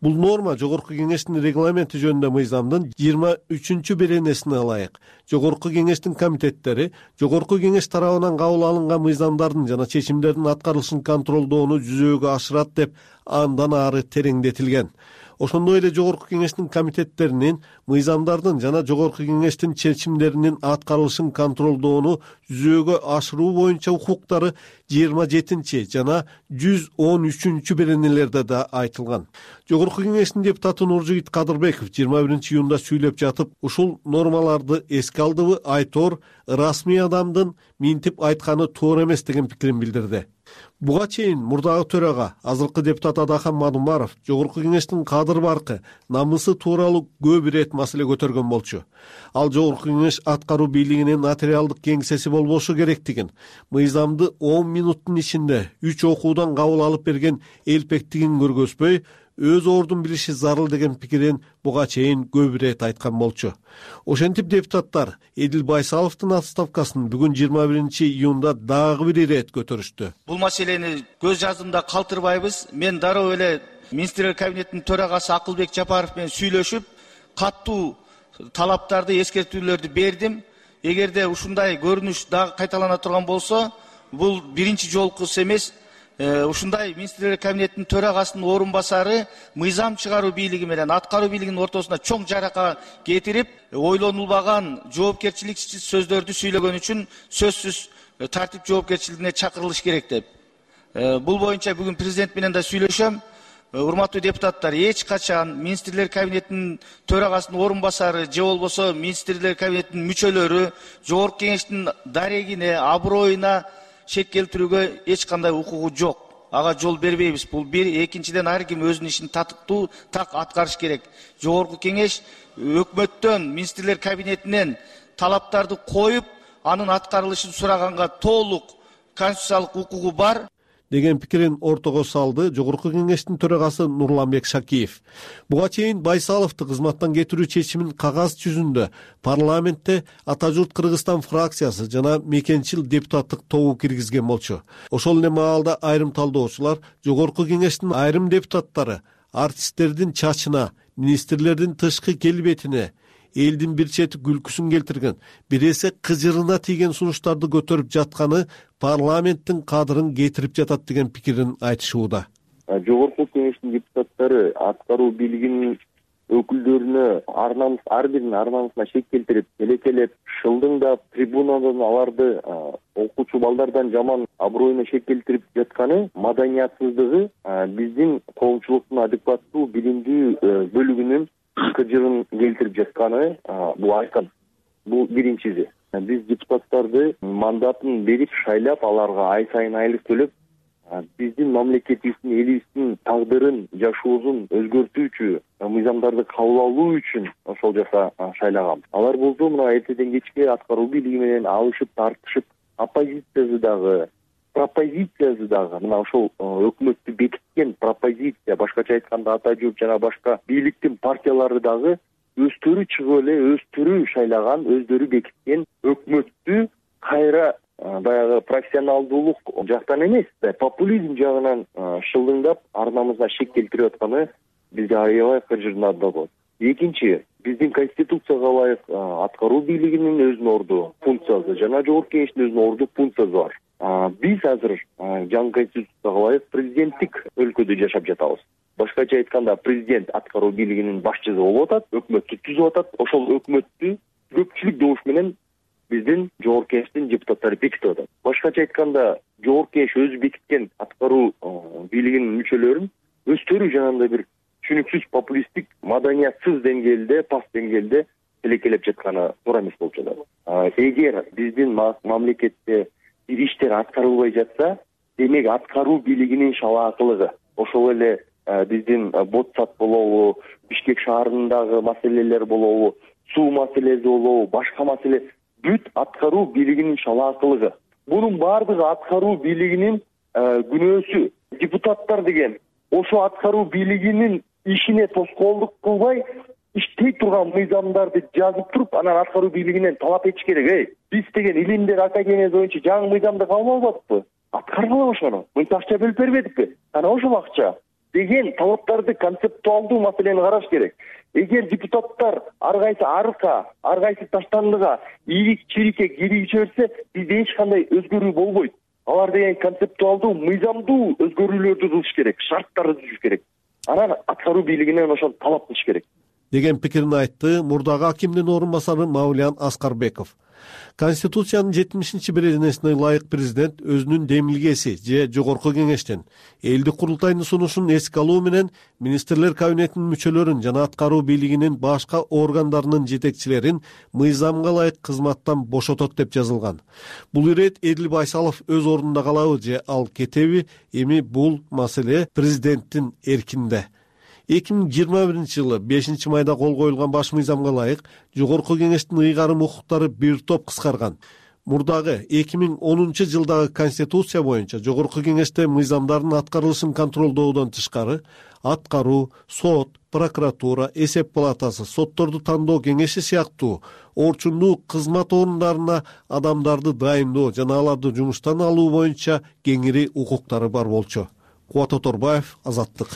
Бул норма Жогорку Кеңештин регламенти жөнүндө мыйзамдын 23-беренесине ылайык Жогорку Кеңештин комитеттери Жогорку Кеңеш тарабынан кабыл алынган мыйзамдардын жана чечимдердин аткарылышын контролдоону жүзөгө ашырат деп андан ары тереңдетилген. Ошондой эле Жогорку Кеңештин комитеттеринин мыйзамдардын жана Жогорку Кеңештин чечимдеринин аткарылышын контролдоону жүзөгө ашыруу боюнча укуктары 27 жана 113-беренелерде да айтылган. Жогорку Кеңештин депутаты Нуржигит Кадырбеков 21-июнда сүйлөп жатып, ушул нормаларды эске алдыбы айтор расмий адамдын минтип айтканы туура эмес деген пикирин билдирди. Буга чейин мурдагы төрага азыркы депутат Адахан Мадумаров Жогорку Кеңештин кадыр баркы, намысы тууралуу көп ирет маселе көтөргөн болчу. Ал Жогорку Кеңеш аткаруу бийлигинин нотариалдык кеңсеси болбошу керектигин, мыйзамды 10 минуттун ичинде 3 окуудан кабыл алып берген элпектигин көргөзбөй, өз ордун билиши зарыл деген пикирин буга чейин көп ирет айткан болчу. Ошентип депутаттар Эдил Байсаловдун отставкасын бүгүн 21-июнда дагы бир ирет көтөрүштү. Бул маселени көз жаздымда калтырбайбыз. Мен дароо эле министрлер кабинетинин төрагасы Акылбек Жапаров менен сүйлөшүп, каттуу талаптарды, эскертүүлөрдү бердим. Эгерде ушундай көрүнүш дагы кайталана турган болсо, бул биринчи жолкусу эмес. Ушундай министрлер кабинетинин төрагасынын орун басары мыйзам чыгаруу бийлиги менен аткаруу бийлигинин ортосуна чоң жарака кетирип, ойлонулбаган жоопкерчиликсиз сөздөрдү сүйлөгөн үчүн сөзсүз тартип жоопкерчилигине чакырылыш керек деп. Бул боюнча бүгүн президент менен да сүйлөшөм. Урматтуу депутаттар, эч качан министрлер кабинетинин төрагасынын орун басары же болбосо министрлер кабинетинин мүчөлөрү жогорку кеңештин дарегине, аброюна шек келтирүүгө эч кандай укугу жок. Ага жол бербейбиз. Бул бир. Экинчиден, ар ким өзүнүн ишин татыктуу так аткарыш керек. Жогорку кеңеш өкмөттөн, министрлер кабинетинен талаптарды коюп, анын аткарылышын сураганга толук конституциялык укугу бар деген пикирин ортого салды жогорку кеңештин төрагасы Нурламбек Шакиев. Буга чейин Байсаловду кызматтан кетирүү чечимин кагаз жүзүндө парламентте Ата журт Кыргызстан фракциясы жана мекенчил депутаттык тобу киргизген болчу. Ошол эле маалда айрым талдоочулар жогорку кеңештин айрым депутаттары артисттердин чачына, министрлердин тышкы келбетине, элдин бир чети күлкүсүн келтирген, бир эсе кыжырына тийген сунуштарды көтөрүп жатканы парламенттин кадырын кетирип жатат деген пикирин айтышууда. Жогорку кеңештин депутаттары аткаруу бийлигинин өкүлдөрүнө ар биринин ар намысына шек келтирип, келекелеп, шылдыңдап, трибунадан аларды окуучу балдардан жаман аброюна шек келтирип жатканы маданиятсыздыгы биздин коомчулуктун адекваттуу билимдүү бөлүгүнүн кыжырын келтирип жатканы бул айкын. Бул биринчиси. Биз депутаттарды мандатын берип, шайлап, аларга ай сайын айлык төлөп, биздин мамлекетибиздин, элибиздин тагдырын, жашоосун өзгөртүүчү мыйзамдарды кабыл алуу үчүн ошол жака шайлаган. Алар болсо мына эртеден кечке аткаруу бийлиги менен алышып, тартышып, оппозициясы дагы, пропозициясы дагы, мына ошол өкмөттү бекиткен пропозиция, башкача айтканда Ата журт жана башка бийликтин партиялары дагы өздөрү чыгып эле, өздөрү шайлаган, өздөрү бекиткен өкмөттү кайра баягы профессионалдуулук жактан эмес, популизм жагынан шылдыңдап, ар намысына шек келтирип атканы бизди аябай кыжырдатат болот. Экинчи, биздин конституцияга ылайык аткаруу бийлигинин өзүнүн орду функциясы жана жогорку кеңештин өзүнүн орду функциясы бар. Биз азыр жаңы конституцияга ылайык президенттик өлкөдө жашап жатабыз. Башкача айтканда, президент аткаруу бийлигинин башчысы болуп атат, өкмөттү түзүп атат. Ошол өкмөттү көпчүлүк добуш менен биздин жогорку кеңештин депутаттары бекитип атат. Башкача айтканда, жогорку кеңеш өзү бекиткен аткаруу бийлигинин мүчөлөрүн өздөрү жанагындай бир түшүнүксүз популисттик, маданиятсыз деңгээлде, паст деңгээлде тилекелеп жатканы туура эмес болуп жатат. Эгер биздин мамлекетте бир иштер аткарылбай жатса, демек аткаруу бийлигинин шалаакылыгы, ошол эле биздин Ботсат болобу, Бишкек шаарындагы маселелер болобу, суу маселеси болобу, башка маселе, бүт аткаруу бийлигинин шалаакылыгы. Бунун баардыгы аткаруу бийлигинин күнөөсү. Депутаттар деген ошо аткаруу бийлигинин ишине тоскоолдук кылбай, иштей турган мыйзамдарды жазып туруп, анан аткаруу бийлигинен талап этиш керек. Биз деген илимдер академиясы боюнча жаңы мыйзамды кабыл албадыкпы? Аткаргыла ошону. Мынча акча бөлүп бербедикпи? Анан ошол акча деген талаптарды, концептуалдуу маселени караш керек. Эгер депутаттар ар кайсы арка, ар кайсы таштандыга, ийрик-чирикке кирип жиберсе, бизде эч кандай өзгөрүү болбойт. Алар деген концептуалдуу, мыйзамдуу өзгөрүүлөрдү кылыш керек, шарттарды түзүш керек. Анан аткаруу бийлигинен ошону талап кылыш керек деген пикирин айтты мурдагы акимдин орун басары Мавлиян Аскарбеков. Конституциянын 70-беренесине ылайык президент өзүнүн демилгеси же жогорку кеңештен элдик курултайдын сунушун эске алуу менен министрлер кабинетинин мүчөлөрүн жана аткаруу бийлигинин башка органдарынын жетекчилерин мыйзамга ылайык кызматтан бошотот деп жазылган. Бул ирет Эдил Байсалов өз ордунда калабы же ал кетеби? Эми бул маселе президенттин эркинде. 2021-жылы 5-майда кол коюлган баш мыйзамга ылайык жогорку кеңештин ыйгарым укуктары бир топ кыскарган. Мурдагы 2010-жылдагы конституция боюнча жогорку кеңеште мыйзамдардын аткарылышын контролдоодон тышкары аткаруу, сот, прокуратура, эсеп палатасы, сотторду тандоо кеңеши сыяктуу орчундуу кызмат орундарына адамдарды дайындоо жана аларды жумуштан алуу боюнча кеңири укуктары бар болчу. Кубат Оторбаев, Азаттык.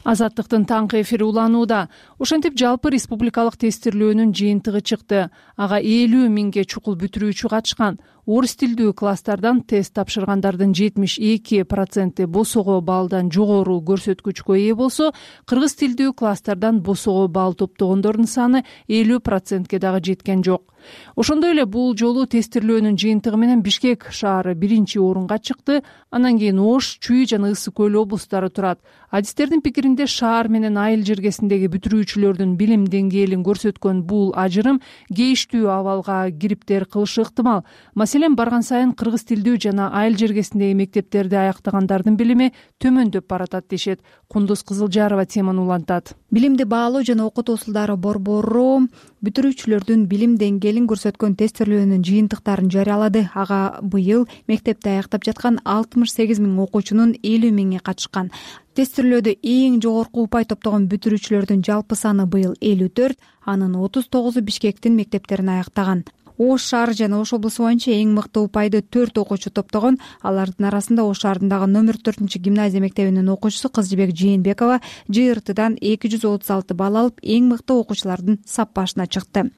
Азаттыктын таңкы эфири уланууда. Ошентип жалпы республикалык тестирлөөнүн жыйынтыгы чыкты. Ага 50 миңге чукул бүтүрүүчү катышкан. Орус тилдүү класстардан тест тапшыргандардын 72% босого баллдан жогору көрсөткүчкө ээ болсо, кыргыз тилдүү класстардан босого балл топтогондордун саны 50%ке дагы жеткен жок. Ошондой эле бул жолу тестирлөөнүн жыйынтыгы менен Бишкек шаары 1-орунга чыкты. Анан кийин Ош, Чүй жана Ысык көл облустары турат. Адистердин пикиринде шаар менен айыл жергесиндеги бүтүрүүчүлөрдүн билим деңгээлин көрсөткөн бул ажырым кейиштүү абалга кириптер кылышы ыктымал. Маселен, барган сайын кыргыз тилдүү жана айыл жергесиндеги мектептерди аяктагандардын билими төмөндөп баратат дешет. Кундуз Кызылжарова теманы улантат. Билимди баалоо жана окутуу усулдары борбору бүтүрүүчүлөрдүн билим деңгээлин көрсөткөн тестирлөөнүн жыйынтыктарын жарыялады. Ага быйыл мектепти аяктап жаткан 68 миң окуучунун 50 миңи катышкан. Тестирлөөдө эң жогорку упай топтогон бүтүрүүчүлөрдүн жалпы саны быйыл 54, анын 39-у Бишкектин мектептерин аяктаган. Ош шаары жана Ош облусу боюнча эң мыкты упайды 4 окуучу топтогон. Алардын арасында Ош шаарындагы номер 4-гимназия мектебинин окуучусу Кызжыбек Жээнбекова ЖРТдан 236 балл алып, эң мыкты окуучулардын сап башына чыкты.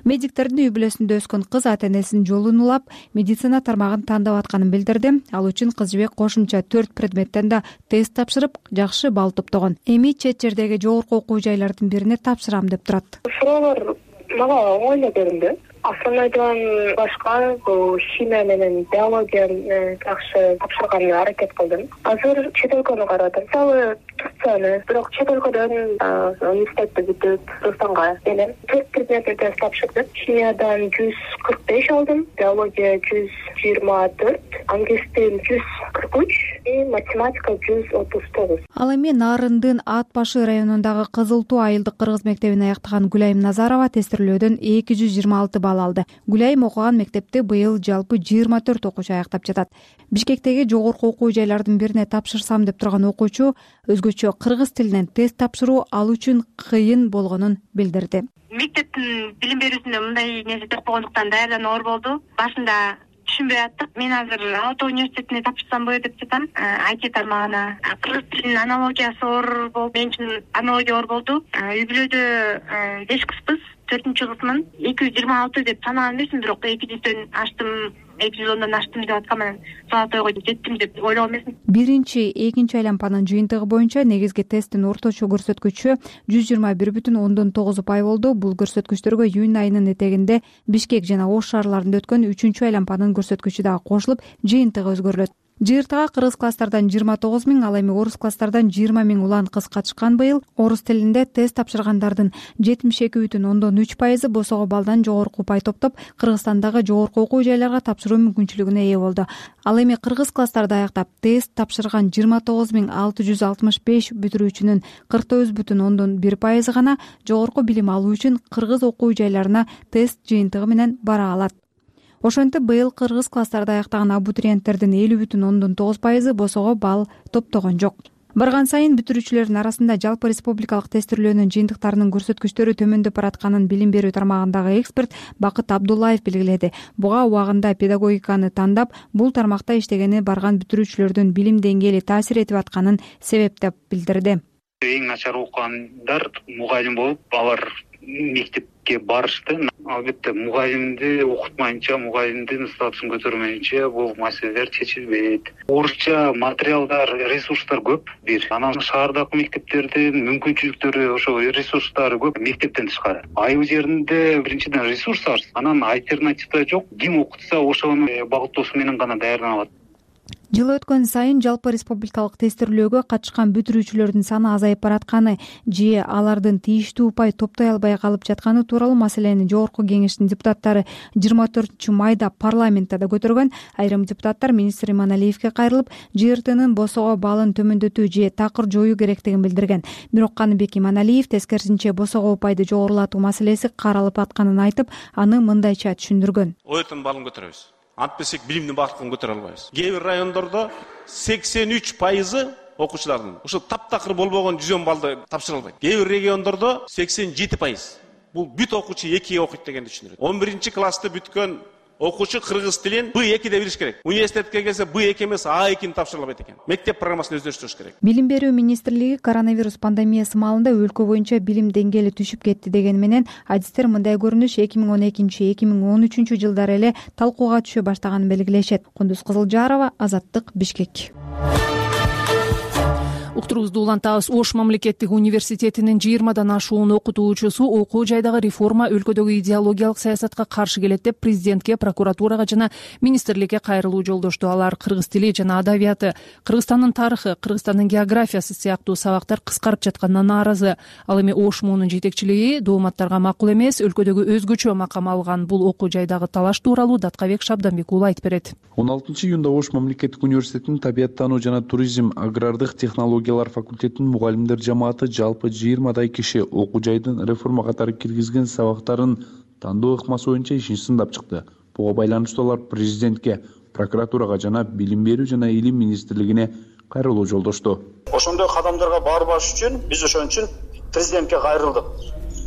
Медиктердин үй бүлөсүндө өскөн кыз ата-энесинин жолун улап, медицина тармагын тандап атканын билдирди. Ал үчүн Кызжыбек кошумча 4 предметтен да тест тапшырып, жакшы балл топтогон. Эми чет жердеги жогорку окуу жайлардын бирине тапшырам деп турат. Суроолор мага оңой эле көрүндү. Основнойдон башка бул химия менен биологияны жакшы тапшырганга аракет кылдым. Азыр чет өлкөнү карадым. Мисалы Турцияны, бирок чет өлкөдөн университетти бүтүп Кыргызстанга келем. 4 предметти тест тапшырдым. Химиядан 145 алдым, биология 124, англис тил 143 и математика 139. Ал эми Нарындын Ат башы районундагы Кызыл Туу айылдык кыргыз мектебин аяктаган Гүлайым Назарова тестирлөөдөн 226 балл алды. Гүлайым окуган мектепти быйыл жалпы 24 окуучу аяктап жатат. Бишкектеги жогорку окуу жайлардын бирине тапшырсам деп турган окуучу өзгөчө кыргыз тилинен тест тапшыруу ал үчүн кыйын болгонун билдирди. Мектептин билим берүүсүндө мындай нерсе жок болгондуктан даярдануу оор болду. Башында түшүнбөй аттык. Мен азыр Ала-Тоо университетине тапшырсамбы деп жатам, IT тармагына. Кыргыз тилинин аналогиясы оор болду. Мен үчүн аналогия оор болду. Үй бүлөдө 5 кызбыз, 4-кызмын. 226 деп санаган эмесмин, бирок 200дөн аштым, 210дон аштым деп атканмын. Саатойго жеттим деп ойлогон эмесмин. Биринчи, экинчи айланпанын жыйынтыгы боюнча негизги тесттин орточо көрсөткүчү 121,9 упай болду. Бул көрсөткүчтөргө июнь айынын этегинде Бишкек жана Ош шаарларында өткөн 3-чү айланпанын көрсөткүчү дагы кошулуп, жыйынтыгы өзгөрүлөт. ЖРТга кыргыз класстардан 29 миң, ал эми орус класстардан 20 миң улан кыз катышкан. Быйыл орус тилинде тест тапшыргандардын 72,3% босого баллдан жогорку упай топтоп, Кыргызстандагы жогорку окуу жайларга тапшыруу мүмкүнчүлүгүнө ээ болду. Ал эми кыргыз класстарда аяктап тест тапшырган 29,665 бүтүрүүчүнүн 49,1% гана жогорку билим алуу үчүн кыргыз окуу жайларына тест жыйынтыгы менен бара алат. Ошентип быйыл кыргыз класстарда аяктаган абитуриенттердин 50,9% босого балл топтогон жок. Барган сайын бүтүрүүчүлөрдүн арасында жалпы республикалык тестирлөөнүн жыйынтыктарынын көрсөткүчтөрү төмөндөп баратканын билим берүү тармагындагы эксперт Бакыт Абдуллаев белгиледи. Буга убагында педагогиканы тандап, бул тармакта иштегени барган бүтүрүүчүлөрдүн билим деңгээли таасир этип атканын себеп деп билдирди. Эң начар окугандар мугалим болуп, алар мектепке барышты. Албетте мугалимди окутмайынча, мугалимдин статусун көтөрмөйүнчө бул маселелер чечилбейт. Орусча материалдар, ресурстар көп бир. Анан шаардагы мектептердин мүмкүнчүлүктөрү, ошо ресурстары көп мектептен тышкары. Айыл жеринде биринчиден ресурс аз, анан альтернатива жок. Ким окутса ошону багыттоосу менен гана даярдана алат. Жыл өткөн сайын жалпы республикалык тестирлөөгө катышкан бүтүрүүчүлөрдүн саны азайып баратканы же алардын тийиштүү упай топтой албай калып жатканы тууралуу маселени жогорку кеңештин депутаттары 24-майда парламентте да көтөргөн. Айрым депутаттар министр Иманалиевге кайрылып, ЖРТнын босого баллын төмөндөтүү же такыр жоюу керектигин билдирген. Бирок Каныбек Иманалиев тескерисинче босого упайды жогорулатуу маселеси каралып атканын айтып, аны мындайча түшүндүргөн. Ойтун баллын көтөрөбүз. Антпесек билимдин бактын көтөрө албайбыз. Кээ бир райондордо 83% окуучулардын ошо таптакыр болбогон 110 баллды тапшыра албайт. Кээ бир региондордо 87%. Бул бүт окуучу 2 окуйт дегенди түшүндүрөт. 11-классты бүткөн окуучу кыргыз тилин Б2 деп билиш керек. Университетке келсе Б2 эмес А2 тапшырыла албайт экен. Мектеп программасын өздөштүрүш керек. Билим берүү министрлиги коронавирус пандемиясы маалында өлкө боюнча билим деңгээли түшүп кетти дегени менен адистер мындай көрүнүш 2012-2013 жылдары эле талкууга түшө баштаганын белгилешет. Кундуз Кызылжарова, Азаттык, Бишкек. Уктуруубузду улантабыз. Ош мамлекеттик университетинин 20дан ашуун окутуучусу окуу жайдагы реформа өлкөдөгү идеологиялык саясатка каршы келет деп президентке, прокуратурага жана министрликке кайрылуу жолдошту. Алар кыргыз тили жана адабияты, Кыргызстандын тарыхы, Кыргызстандын географиясы сыяктуу сабактар кыскарып жатканына нааразы. Ал эми Ош муунун жетекчилиги дооматтарга макул эмес, өлкөдөгү өзгөчө макам алган бул окуу жайдагы талаш тууралуу Даткабек Шабданбек уулу айтып берет. 16-июнда Ош мамлекеттик университетинин табияттануу жана туризм, агрардык технологиялар факультетинин мугалимдер жамааты жалпы 20дай киши окуу жайдын реформа катары киргизген сабактарын тандоо ыкмасы боюнча ишин сындап чыкты. Буга байланыштуу алар президентке, прокуратурага жана билим берүү жана илим министрлигине кайрылуу жолдошту. Ошондой кадамдарга барбаш үчүн биз ошон үчүн президентке кайрылдык.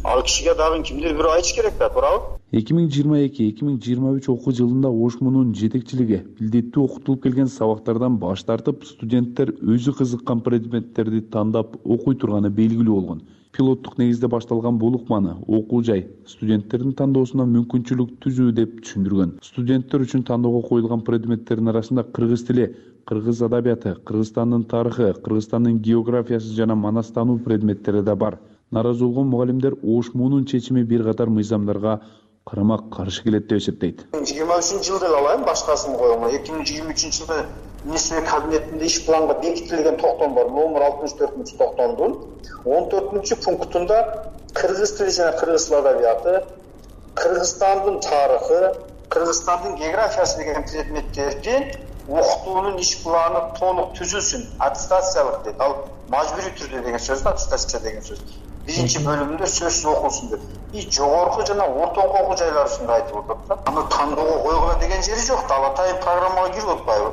Ал кишиге дагы кимдир бирөө айтыш керек да, туурабы? 2022-2023 окуу жылында Ош муунун жетекчилиги илдеттүү окутулуп келген сабактардан баш тартып, студенттер өзү кызыккан предметтерди тандап окуй турганы белгилүү болгон. Пилоттук негизде башталган бул ыкманы окуу жай студенттердин тандоосуна мүмкүнчүлүк түзүү деп түшүндүргөн. Студенттер үчүн тандоого коюлган предметтердин арасында кыргыз тили, кыргыз адабияты, Кыргызстандын тарыхы, Кыргызстандын географиясы жана манастануу предметтери да бар. Наразы болгон мугалимдер Ош муунун чечими бир катар мыйзамдарга карама-каршы келет деп эсептейт. 2023 жылда эле алайын башкасын коюм. 2023 жылда министрлик кабинетинде иш планга бекитилген токтом бар. Номер 64-токтомдун 14-пунктунда кыргыз тили жана кыргыз тил адабияты, Кыргызстандын тарыхы, Кыргызстандын географиясы деген предметтерди окутуунун иш планы толук түзүлсүн, аттестациялык дейт. Ал мажбурий түрдө деген сөз, аттестация деген сөз. Биринчи бөлүмүндө сөзсүз окулсун деп. Жогорку жана ортоңку окуу жайлар ушундай айтып атат да. Аны тандоого койгула деген жери жок да. Ал атайын программага кирип атпайбы?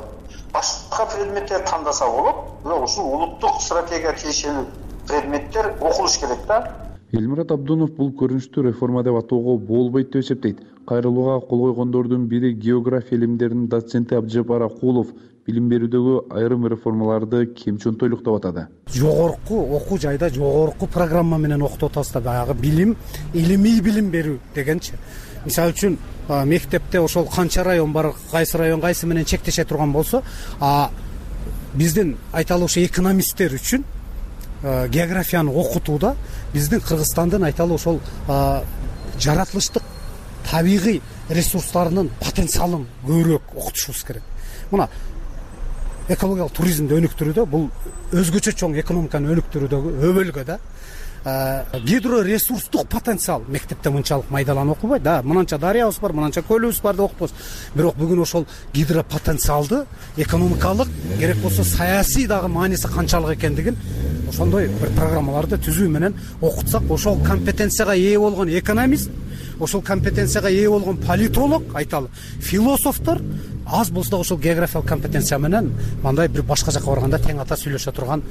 Башка предметтер тандаса болот. Бирок ушул улуттук стратегияга тиешелүү предметтер окулуш керек да. Элмират Абдунов бул көрүнүштү реформа деп атоого болбойт деп эсептейт. Кайрылууга кол койгондордун бири география илимдеринин доценти Абжапар Акулов билим берүүдөгү айрым реформаларды кемчөнтөйлүк деп атады. Жогорку окуу жайда жогорку программа менен окутуп атабыз да, баягы билим, илимий билим берүү дегенчи. Мисалы үчүн мектепте ошол канча район бар, кайсы район кайсы менен чектеше турган болсо, биздин айталы ошо экономисттер үчүн географияны окутууда биздин Кыргызстандын айталы ошол жаратылыштык табигый ресурстарынын потенциалын көбүрөөк окутушубуз керек. Мына экологиялык туризмди өнүктүрүүдө бул өзгөчө чоң экономиканы өнүктүрүүдөгү өбөлгө да. Гидроресурстук потенциал мектепте мынчалык майдаланып окубайт да. Мынанча дарыябыз бар, мынанча көлүбүз бар деп окутабыз. Бирок бүгүн ошол гидропотенциалды экономикалык, керек болсо саясий дагы мааниси канчалык экендигин ошондой бир программаларды түзүү менен окутсак, ошол компетенцияга ээ болгон экономист, ошол компетенцияга ээ болгон политолог, айталы, философтор аз болсо да ошол географиялык компетенция менен мындай бир башка жака барганда тең ата сүйлөшө турган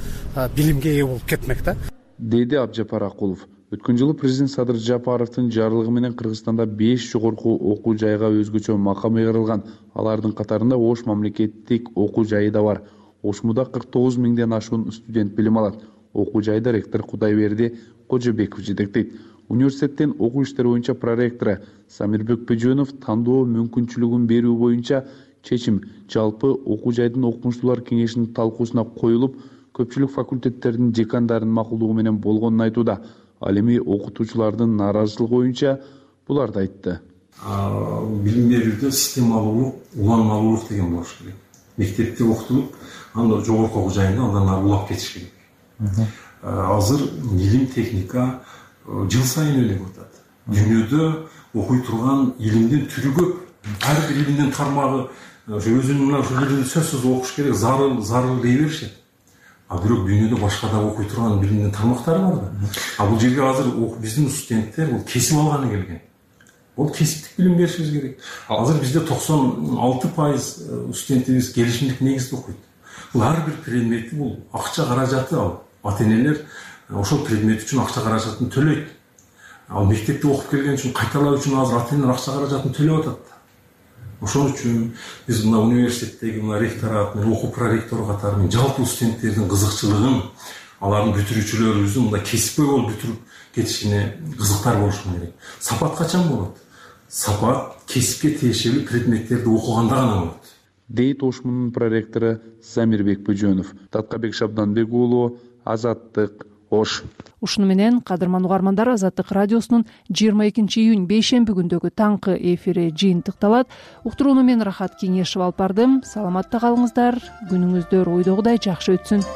билимге ээ болуп кетмек да, деди Абжапар Акулов. Өткөн жылы президент Садыр Жапаровдун жарлыгы менен Кыргызстанда 5 жогорку окуу жайга өзгөчө макам ыйгарылган. Алардын катарында Ош мамлекеттик окуу жайы да бар. Ошмуда 49 миңден ашуун студент билим алат. Окуу жайда ректор Кудайберди Кожобеков жетектейт. Университеттин окуу иштери боюнча проректору Самирбек Бөжөнов тандоо мүмкүнчүлүгүн берүү боюнча чечим жалпы окуу жайдын окумуштуулар кеңешинин талкуусуна коюлуп, көпчүлүк факультеттердин декандарынын макулдугу менен болгонун айтууда. Ал эми окутуучулардын нааразычылыгы боюнча буларды айтты. Билим берүүдө системалуулук, уланмалуулук деген болуш керек. Мектепте окутулуп, анда жогорку окуу жайында андан ары улап кетиш керек. Азыр илим, техника жыл сайын өлөп атат. Дүйнөдө окуй турган илимдин түрү көп. Ар бир илимдин тармагы өзүнүн ушул илимди сөзсүз окуш керек, зарыл дей беришет. Бирок дүйнөдө башка да окуй турган билимдин тармактары бар да. Бул жерге азыр биздин студенттер бул кесип алганы келген. Бул кесиптик билим беришибиз керек. Азыр бизде 96% студентибиз келишимдик негизде окуйт. Бул ар бир предмети бул акча каражаты ал. Ата-энелер ошол предмет үчүн акча каражатын төлөйт. Ал мектепте окуп келген үчүн кайталоо үчүн азыр ата-энелер акча каражатын төлөп атат. ошон үчүн биз мына университеттеги мына ректорат менен окуу проректор катары менен жалпы студенттердин кызыкчылыгын, алардын бүтүрүүчүлөрүбүздүн мындай кесипкөй болуп бүтүрүп кетишине кызыктар болушу керек. Сапат качан болот? Сапат кесипке тиешелүү предметтерди окуганда гана болот, дейт ош мунун проректору Замирбек Бөжөнов. Таткабек Шабданбек уулу, Азаттык, Ош. Ушуну менен кадырман угармандар, Азаттык радиосунун 22 июнь бейшемби күндөгү таңкы эфири жыйынтыкталат. Уктурууну мен Рахат Кеңешев алып бардым. Саламатта калыңыздар, күнүңүздөр ойдогудай жакшы өтсүн.